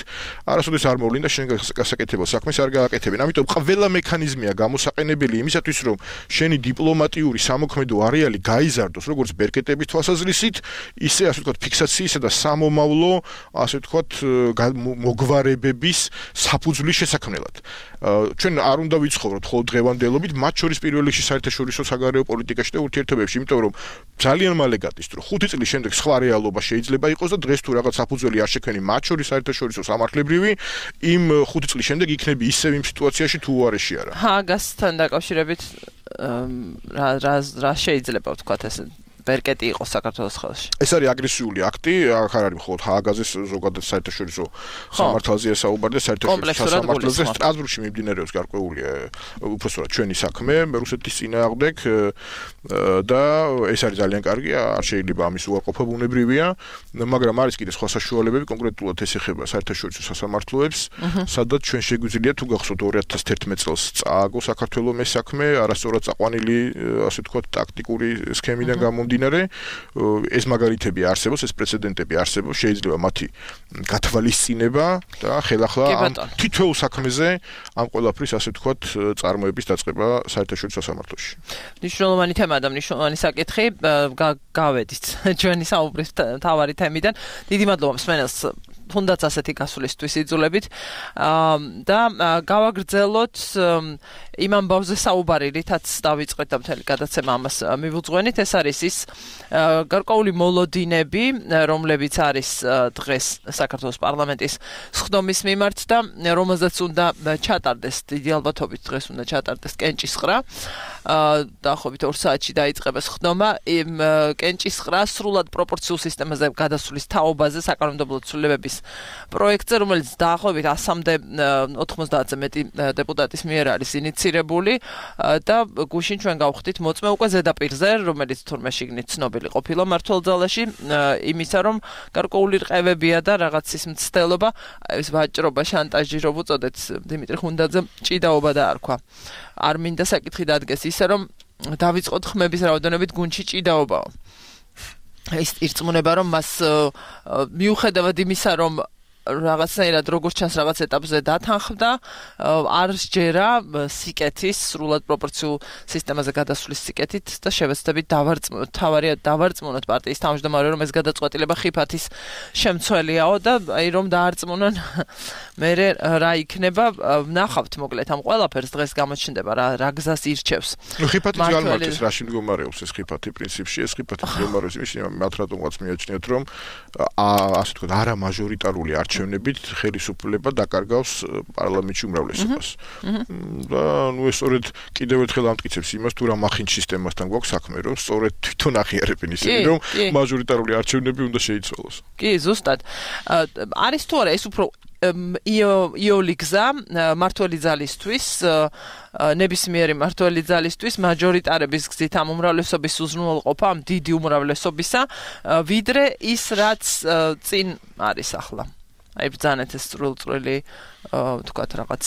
არასოდეს არ მოვლენ და შენ გასაკეთებელ საქმეს არ გააკეთებენ. ამიტომ ყველა მექანიზმია გამოსაყენებელი იმისათვის, რომ შენი დიპლომატიური სამოქმედო არეალი გაიზარდოს, როგორც ბერკეტების თვალსაზრისით, ისე ასე ვთქვათ, ფიქსაციისა და სამომავლო, ასე ვთქვათ, მოგვარებების საფუძვლის შესაქმნელად. ჩვენ არ უნდა ვიცხოვროთ მხოლოდ დღევანდელობით, მათ შორის პირველ რიგში საერთაშორისო საგარეო პოლიტიკაში და ურთიერთობებში, იმიტომ რომ ძალიან მალე გადის, რომ 5 წლის შემდეგ სხვა რეალობა შეიძლება იყოს და დღეს თუ რაღაც საფუძველი არ შექმნი მათ შორის საერთაშორისო სამართლებრივი, იმ 5 წლის შემდეგ იქნები ისევ იმ სიტუაციაში თუ უარეში არა. ჰააგასთან დაკავშირებით რა შეიძლება ვთქვათ ეს ბერკეტი იყო საქართველოს ხელში. ეს არის აგრესიული აქტი, აქ არ არის მხოლოდ ჰააგაზეს ზოგადად საერთაშორისო სამართალზეა საუბარი და საერთაშორისო სამართალზე სტრასბურგში მიმდინარეობს გარკვეულია უბრალოდ ჩვენი საქმე რუსეთის წინააღმდეგ და ეს არის ძალიან კარგი, არ შეიძლება ამის უარყოფა ბუნებრივია, მაგრამ არის კიდე სხვა საშუალებები, კონკრეტულად ეს ეხება საერთაშორისო სასამართლოებს, სადაც ჩვენ შეგვიძლია თუ გახსოვთ 2011 წელს წააგო საქართველოს მე საქმე, არასწორად წაყვანილი, ასე ვთქვათ, ტაქტიკური სქემიდან გამომდინარე გამომდინარე ეს მაგალითები არსებობს, ეს პრეცედენტები არსებობს, შეიძლება მათი გათვალისწინება და ხელახლა ამ თითოეულ საქმეზე ამ ყველაფრის ასე ვთქვათ წარმოების დაწყება საერთაშორისო სასამართლოში. მნიშვნელოვანი თემა და მნიშვნელოვანი საკითხი გავედით ჩვენი საუბრის მთავარი თემიდან. დიდი მადლობა მსმენელს თუნდაც ასეთი გასვლისთვის იძულებით და გავაგრძელოთ იმ ამბავზე საუბარი, რითაც დავიწყეთ და მთელი გადაცემა ამას მივუძღვენით. ეს არის ის გარკვეული მოლოდინები, რომლებიც არის დღეს საქართველოს პარლამენტის სხდომის მიმართ და რომელზეც უნდა ჩატარდეს, დიდი ალბათობით დღეს უნდა ჩატარდეს კენჭისყრა. დაახლოებით 2 საათში დაიწყება სხდომა. იმ კენჭისყრა სრულად პროპორციულ სისტემაზე გადასვლის თაობაზე საკანონმდებლო ცვლილებების პროექტზე, რომელიც დაახლოებით 100-მდე 90-ზე მეტი დეპუტატის მიერ არის ინიცირებული და გუშინ ჩვენ გავხდით მოწმე უკვე ზედაპირზე, რომელიც თურმე შიგნით ცნობილი ყოფილა მართლ ძალაში, იმისა რომ გარკვეული რყევებია და რაღაც ის მცდელობა, ეს ვაჭრობა, შანტაჟი რო უწოდეთ დიმიტრი ხუნდაძემ ჭიდაობა დაარქვა. არ მინდა საკითხი დადგეს ისე რომ დავიწყოთ ხმების რაოდენობით გუნდში ჭიდაობაო. ეს ირწმუნება რომ მას მიუხედავად იმისა რომ რაღაცნაირად როგორც ჩანს რაღაც ეტაპზე დათანხმდა, არ სჯერა სიკეთის სრულად პროპორციულ სისტემაზე გადასვლის სიკეთით და შევეცდებით დავარწმუნოთ პარტიის თავმჯდომარე რომ ეს გადაწყვეტილება ხიფათის შემცველიაო და აი რომ დაარწმუნონ მე რა იქნება. ნახავთ მოკლედ ამ ყველაფერს დღეს გამოჩნდება რა გზას ირჩევს. ხიფათი ძალმარტის რაში მდგომარეობს ეს ხიფათი პრინციპში, ეს ხიფათი მდგომარეობს იმაში მათ რატომღაც მიაჩნიათ რომ ასე ვთქვათ არა მაჟორიტარული არჩევნებით ხელისუფლება დაკარგავს პარლამენტში უმრავლესობას. და ნუ ეს სწორედ კიდევ ერთხელ ამტკიცებს იმას თუ რა მახინჯ სისტემასთან გვაქვს საქმე, რომ სწორედ თვითონ აღიარებენ ისინი, რომ მაჟორიტარული არჩევნები უნდა შეიცვალოს. კი, ზუსტად. არის თუ არა ეს უფრო იოლი გზა მართველი ძალისთვის, ნებისმიერი მართველი ძალისთვის მაჟორიტარების გზით ამ უმრავლესობის უზრუნველყოფა, ამ დიდი უმრავლესობისა, ვიდრე ის რაც წინ არის ახლა. აი ბრძანეთ ეს წვრილი თქვათ რაღაც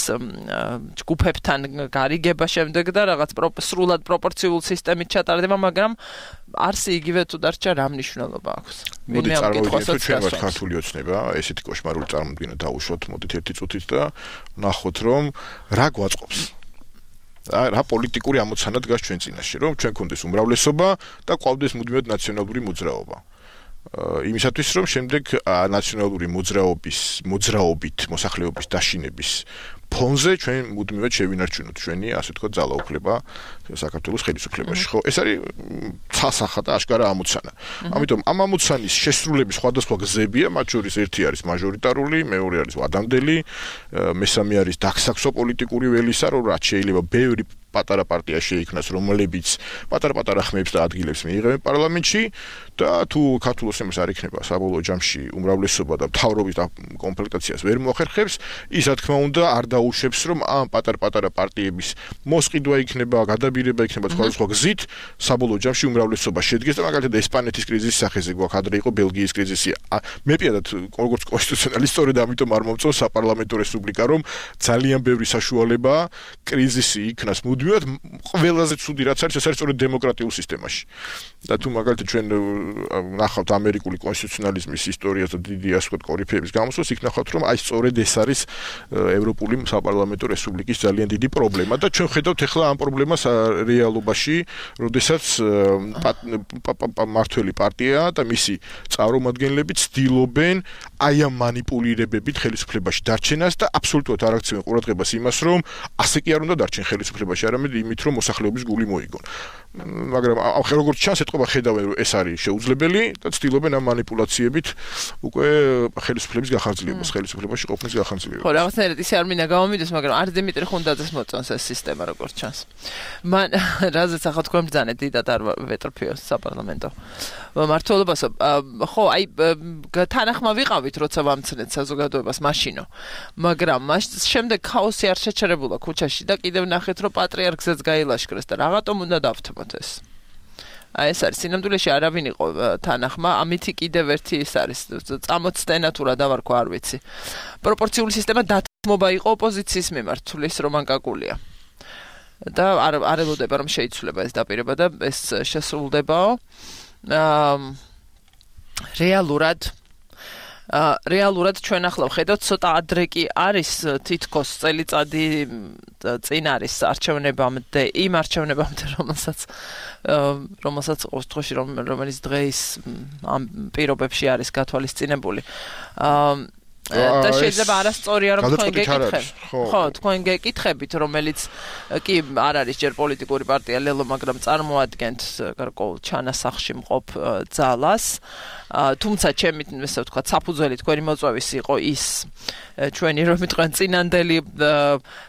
ჯგუფებთან გარიგება შემდეგ და რაღაც სრულად პროპორციულ სისტემით ჩატარდება, მაგრამ არსი იგივე თუ დარჩა რა მნიშვნელობა აქვს. მოდი წარმოვიდგინოთ ჩვენ ვართ ქართული ოცნება, ესეთი კოშმარული წარმოდგენა დაუშვათ, მოდით ერთი წუთით და ნახოთ რომ რა გვაწყობს. რა პოლიტიკური ამოცანა დგას ჩვენ წინაშე, რომ ჩვენ გქონდეს უმრავლესობა და ყავდეს მუდმივად ნაციონალური მოძრაობა. იმისათვის რომ შემდეგ ნაციონალური მოძრაობით მოსახლეობის დაშინების ფონზე ჩვენ მუდმივად შევინარჩუნოთ ჩვენი ასე ვთქვათ ძალაუფლება საქართველოს ხელისუფლებაში. ხო, ეს არის ცალსახა და აშკარა ამოცანა. ამიტომ ამ ამოცანის შესრულების სხვადასხვა გზებია, მათ შორის ერთი არის მაჟორიტარული, მეორე არის ვადამდელი, მესამე არის დაგსაქსო პოლიტიკური ველისა, რომ რაც შეიძლება ბევრი პატარა პარტია შეიქმნას, რომლებიც პატარ-პატარა ხმებს და ადგილებს მიიღებენ პარლამენტში და თუ ქართულ ოცნებას არ იქნება საბოლოო ჯამში უმრავლესობა და მთავრობის კომპლექტაციას ვერ მოახერხებს, ის რა თქმა უნდა არ დაუშვებს რომ ამ პატარ-პატარა პარტიების მოსყიდვა იქნება, გადაბირება იქნება სხვადასხვა გზით, საბოლოო ჯამში უმრავლესობა შედგეს და მაგალითად ესპანეთის კრიზისის სახეზე გვაქვს, ადრე იყო ბელგიის კრიზისი. მე პირადად როგორც კონსტიტუციონალისტი სწორედ ამიტომ არ მომწონს საპარლამენტო რესპუბლიკა, რომ ძალიან ბევრი საშუალება კრიზისი იქნას მუდმივად ყველაზე ცუდი რაც არის, ეს არის სწორედ დემოკრატიულ სისტემაში. და თუ მაგალითად ჩვენ ნახავთ ამერიკული კონსტიტუციონალიზმის ისტორიას და დიდი ასე ვთქვათ კორიფეების გამოსვლას, იქ ნახავთ რომ აი სწორედ ეს არის ევროპული საპარლამენტო რესპუბლიკის ძალიან დიდი პრობლემა და ჩვენ ხედავთ ახლა ამ პრობლემას რეალობაში, როდესაც მართველი პარტია და მისი წარმომადგენლები ცდილობენ აი ამ მანიპულირებებით ხელისუფლებაში დარჩენას და აბსოლუტურად არ აქცევენ ყურადღებას იმას, რომ ასე კი არ უნდა დარჩენ ხელისუფლებაში, არამედ იმით, რომ მოსახლეობის გული მოიგონ. მაგრამ როგორც ჩანს, ეთყობა ხედავენ, რომ ეს არის შეუძლებელი და ცდილობენ ამ მანიპულაციებით უკვე ხელისუფლების გახარძლებას, ხელისუფლებაში ყოფნის გახარძლებას. ხო, რაღაცნაირად ისე არ მინდა გამომიდეს, მაგრამ არ დიმიტრი ხუნდაძეს მოწონს ეს სისტემა, როგორც ჩანს. მან რაზეც ახლა თქვენ ბრძანეთ, დიდად არ ვეტრფიო საპარლამენტო მმართველობასო. ხო, აი თანახმა ვიყავით, როცა ვამცნეთ საზოგადოებას მაშინო. მაგრამ შემდეგ ქაოსი არ შეჩერებულა ქუჩაში და კიდევ ნახეთ, რომ პატრიარქსაც გაილაშქრეს და რაღაცომ უნდა დავთმოთ ეს. ეს არის სინამდვილეში არავინ იყო თანახმა, ამითი კიდევ ერთი ის არის წამოცდენა თუ რა დავარქვა არ ვიცი. პროპორციული სისტემა დათმობა იყო ოპოზიციის მიმართ, თulis რომან კაკულია. და არ ელოდება რომ შეიცვლება ეს დაპირება და ეს შესრულდებაო. რეალურად ჩვენ ახლა ვხედავთ ცოტა ადრე კი არის თითქოს წელიწადი წინ არის არჩევნებამდე იმ არჩევნებამდე რომელსაც ოთხოში რომელიც დღეს ამ პირობებში არის გათვალისწინებული და შეიძლება არასწორია რომ თქვენ გეკითხებით. ხო, თქვენ გეკითხებით, რომელიც კი არ არის ჯერ პოლიტიკური პარტია ლელო, მაგრამ წარმოადგენთ გარკვეულ ჩანასახში მყოფ ძალას. თუმცა ჩემი ესე ვთქვა, საფუძველი თქვენი მოწვევის იყო ის ჩვენი რომ თქვენ წინანდელი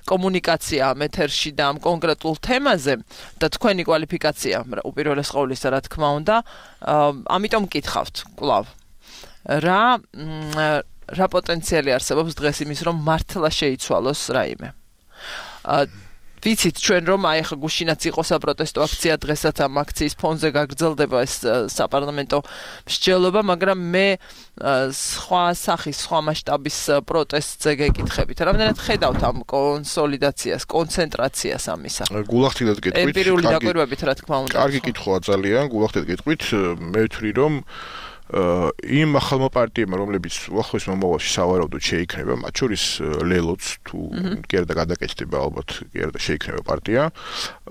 კომუნიკაცია მეთერში და ამ კონკრეტულ თემაზე და თქვენი კვალიფიკაცია უპირველეს ყოვლისა რა თქმა უნდა, ამიტომ მკითხავთ კვლავ. რა პოტენციალი არსებობს დღეს იმის რომ მართლა შეიცვალოს რაიმე. ვიცით ჩვენ რომ აი ხა გუშინაც იყო საპროტესტო აქცია დღესაც ამ აქციის ფონზე გაგრძელდება ეს საპარლამენტო მსჯელობა, მაგრამ მე სხვა სახის, სხვა მასშტაბის პროტესტზე გეკითხებით. რამდენად ხედავთ ამ კონსოლიდაციას, კონცენტრაციას ამისა? გულახდილად გეტყვით. ემპირიული დაკვირვებით რა თქმა უნდა. კარგი კითხვაა ძალიან, გულახდილად გეტყვით. მე ვთვლი რომ იმ ახალმა პარტიებმა, რომლებიც უახლოეს მომავალში სავარაუდოდ შეიქმნება, მათ შორის ლელოც თუ კი არა და გადაკეთდება ალბათ კი არა და შეიქმნება პარტია,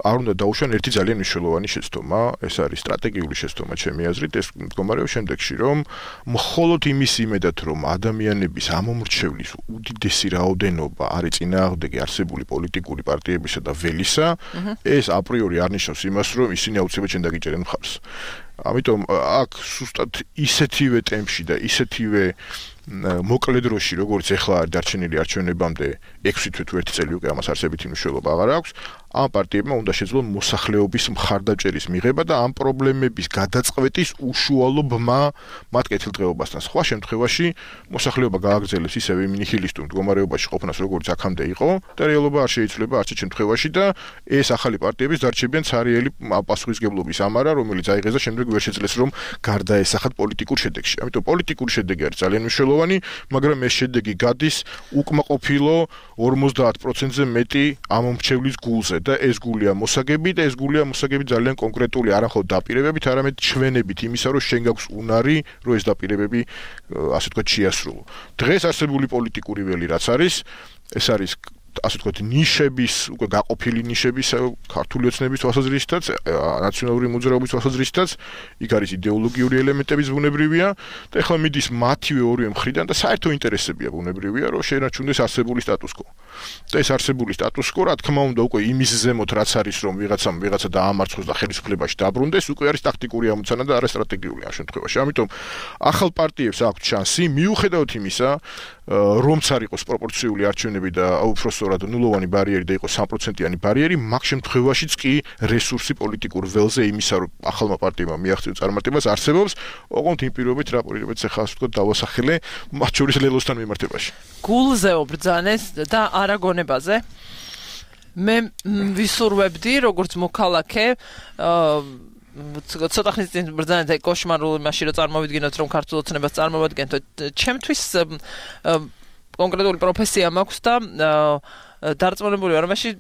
არ უნდა დაუშვან ერთი ძალიან მნიშვნელოვანი შეცდომა, ეს არის სტრატეგიული შეცდომა ჩემი აზრით, ეს მდგომარეობს შემდეგში, რომ მხოლოდ იმის იმედად, რომ ადამიანების ამომრჩევლის უდიდესი რაოდენობა არის წინააღმდეგი არსებული პოლიტიკური პარტიებისა და ველისა, ეს აპრიორი არ ნიშნავს იმას, რომ ისინი აუცილებლად შენ დაგიჭერენ მხარს. ამიტომ აქ სუსტად ისეთივე ტემპში და ისეთივე მოკლე დროში, როგორც ეხლა არის დარჩენილი არჩევნებამდე 6 თვე თუ 1 წელი უკვე ამას არსებითი მნიშვნელობა აღარ აქვს, ამ პარტიებმა უნდა შეძლონ მოსახლეობის მხარდაჭერის მიღება და ამ პრობლემების გადაწყვეტის უშუალო ბმა მათ კეთილდღეობასთან. სხვა შემთხვევაში მოსახლეობა გააგრძელებს ისევე ნიჰილისტურ მდგომარეობაში ყოფნას, როგორც აქამდე იყო და რეალობა არ შეიცვლება არც შემთხვევაში და ეს ახალი პარტიების დარჩებიან ცარიელი პასუხისგებლობის ამარა, რომელიც აიღეს და შემდეგ ვერ შეძლეს რომ გარდაესახათ პოლიტიკურ შედეგში. ამიტომ პოლიტიკური შედეგი არის ძალიან მნიშვნელოვანი, მაგრამ ეს შედეგი გადის უკმაყოფილო 50%-ზე მეტი ამომრჩევლის გულზე. და ეს გულია მოსაგები და ეს გულია მოსაგები ძალიან კონკრეტული არა მხოლოდ დაპირებებით, არამედ ჩვენებით იმისა, რომ შენ გაქვს უნარი, რომ ეს დაპირებები ასე ვთქვათ შეასრულო. დღეს არსებული პოლიტიკური ველი რაც არის, ეს არის ასე ვთქვათ ნიშების, უკვე გაყოფილი ნიშების ქართული ოცნების თვალსაზრისითაც, ნაციონალური მოძრაობის თვალსაზრისითაც, იქ არის იდეოლოგიური ელემენტების ბუნებრივია და ეხლა მიდის მათივე ორივე მხრიდან და საერთო ინტერესებია ბუნებრივია, რომ შეენარჩუნდეს არსებული სტატუს-კვო. და ეს არსებული სტატუს-კვო, რა თქმა უნდა, უკვე იმის ზემოთ რაც არის, რომ ვიღაცა დაამარცხოს და ხელისუფლებაში დაბრუნდეს, უკვე არის ტაქტიკური ამოცანა და არა სტრატეგიული ამ შემთხვევაში. ამიტომ ახალ პარტიებს აქვთ შანსი, მიუხედავად იმისა, რომც არ იყოს პროპორციული არჩევნები და უბრალოდ ნულოვანი ბარიერი და იყოს 3%-იანი ბარიერი, მაგ შემთხვევაშიც კი რესურსი პოლიტიკურ ველზე იმისა, რომ ახალმა პარტიებმა მიაღწიოს წარმატებას არსებობს, ოღონდ იმ პირობებით რა პირობებიც ახლა ასე ვთქვათ დავასახელე, მათ შორის ლელოსთან მიმართებაში. გულზე უბრძანეს და არაგონებაზე მე ვისურვებდი როგორც მოქალაქე ცოტა ხნის წინ ბრძანეთ აი კოშმარული მაშინ რომ წარმოვიდგინოთ რომ ქართულ ოცნებას წარმოვადგენთ ჩემთვის კონკრეტული პროფესია მაქვს და დარწმუნებული ვარ მაშინ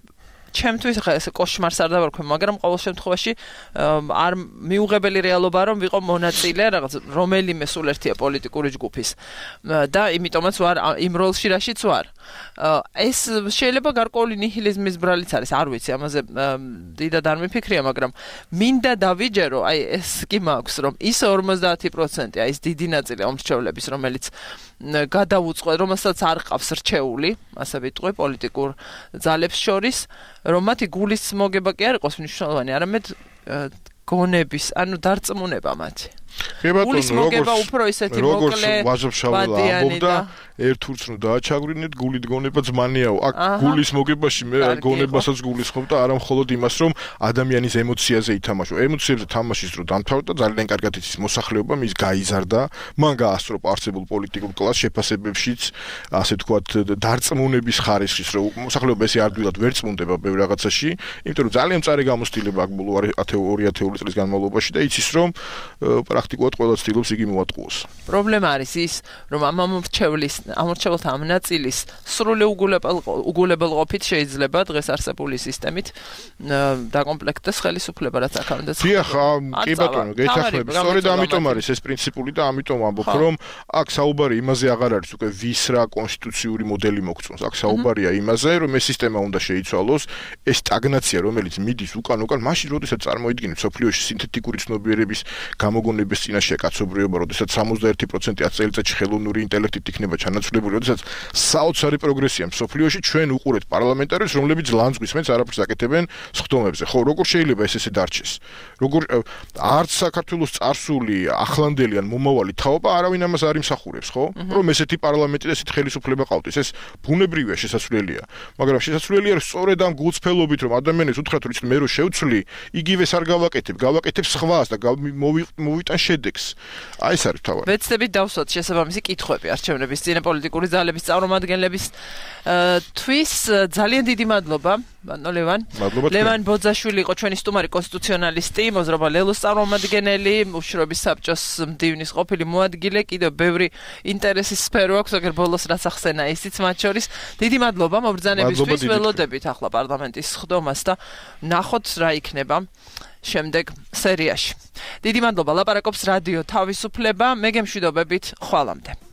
ჩემთვის ხა ეს კოშმარს არ დავარქვი, მაგრამ ყოველ შემთხვევაში არ მიუღებელი რეალობა რომ ვიყო მონაწილე რაღაც რომელიმე სულ ერთია პოლიტიკური ჯგუფის და იმიტომაც ვარ იმ როლში რაშიც ვარ. ეს შეიძლება გარკვეული ნიჰილიზმის ბრალიც არის, არ ვიცი, ამაზე დიდად არ მიფიქრია, მაგრამ მინდა დავიჯერო, აი ეს კი მაქვს, რომ ის 50%, აი ეს დიდი ნაწილი ამრჩევლების, რომელიც გადაუწყვეტ, რომელსაც არ ყავს რჩეული, ასე ვიტყვი, პოლიტიკურ ძალებს შორის, რომ მათი გულის მოგება კი არ იყოს მნიშვნელოვანი, არამედ გონების, ანუ დარწმუნება მათი. გულის მოგება უფრო ისეთი მოკლე ვაჟობშაველა ერთ ურცნო დააჩაგვრინეთ, გულით გონება ძმანიაო. აქ გულის მოგებაში მე გონებასაც გულისხმობ და არა მხოლოდ იმას, რომ ადამიანის ემოციაზე ითამაშო. ემოციებზე თამაშის დრო დამთავრდა და ძალიან კარგად იცის მოსახლეობა, მის გაიზარდა, მან გაასწრო არსებულ პოლიტიკურ კლასს შეფასებებშიც, ასე თქვათ, დარწმუნების ხარისხის, რომ მოსახლეობა ესე ადვილად ვერ წმუნდება ბევრ რაღაცაში, იმიტომ რომ ძალიან მწარე გამოცდილება აქვს ბოლო 2 ათეული წლის განმავლობაში და იცის, რომ პრაქტიკულად ყველა ცდილობს იგი მოატყუოს. პრობლემა არის ის, რომ ამ ამორჩეულთა ამ ნაწილის სრული უგულებელყოფით შეიძლება დღეს არსებული სისტემით დაკომპლექტდეს ხელისუფლება, რაც აქამდე დიახ, კი ბატონო, გეთახმები. სწორედ ამიტომ არის ეს პრინციპული და ამიტომ ამბობ, რომ აქ საუბარი იმაზე აღარ არის უკვე ვის რა კონსტიტუციური მოდელი მოგწონს. აქ საუბარია იმაზე, რომ ეს სისტემა უნდა შეიცვალოს, ეს სტაგნაცია, რომელიც მიდის უკან, მაშინ როდესაც წარმოიდგინეთ სოფლიოში სინთეთიკური ცნობიერების გამოგონების წინაშე კაცობრიობა, როდესაც 61% 10 წელიწადში ხელოვნური ინტელექტით იქნება ჩანაცვლებული, როდესაც საოცარი პროგრესია სოფლიოში, ჩვენ უყურეთ პარლამენტარებს, რომლებიც ლანძღვის მეც არაფერს აკეთებენ სხდომებზე. ხო, როგორ შეიძლება ესე დარჩეს? როგორ არც საქართველოს წარსული, ახლანდელი ან მომავალი თაობა არავინ ამას არ იმსახურებს, ხო? რომ ესეთი პარლამენტი და ესეთი ხელისუფლება ყავდეს. ეს ბუნებრივია, შესაძლებელია. მაგრამ შესაძლებელია სწორედ ამ გულწრფელობით, რომ ადამიანებს უთხრათ, რომ მე რო შევცვლი, იგივეს არ გავაკეთებ სხვას და მოვიტან შედეგს. აი ეს არის თავი. ვეცდებით დავსვათ შესაბამისი კითხვები არჩევნების წინა პოლიტიკური ძალების წარმომადგენლების თვის ძალიან დიდი მადლობა, ბატონო ლევან. ლევან ბოძაშვილი იყო ჩვენი სტუმარი კონსტიტუციონალისტი, მოძრაობა ლელოს წარმომადგენელი, უშრობის საბჭოს მდივნის ყოფილი მოადგილე, კიდევ ბევრი ინტერესის სფერო აქვს, აგერ ბოლოს რაც ახსენა ისიც მათ შორის. დიდი მადლობა მობრძანებისთვის, ველოდებით ახლა პარლამენტის სხდომას და ნახოთ რა იქნება შემდეგ სერიაში. დიდი მადლობა, ლაპარაკობს რადიო თავისუფლება, მე გემშვიდობებით, ხვალამდე.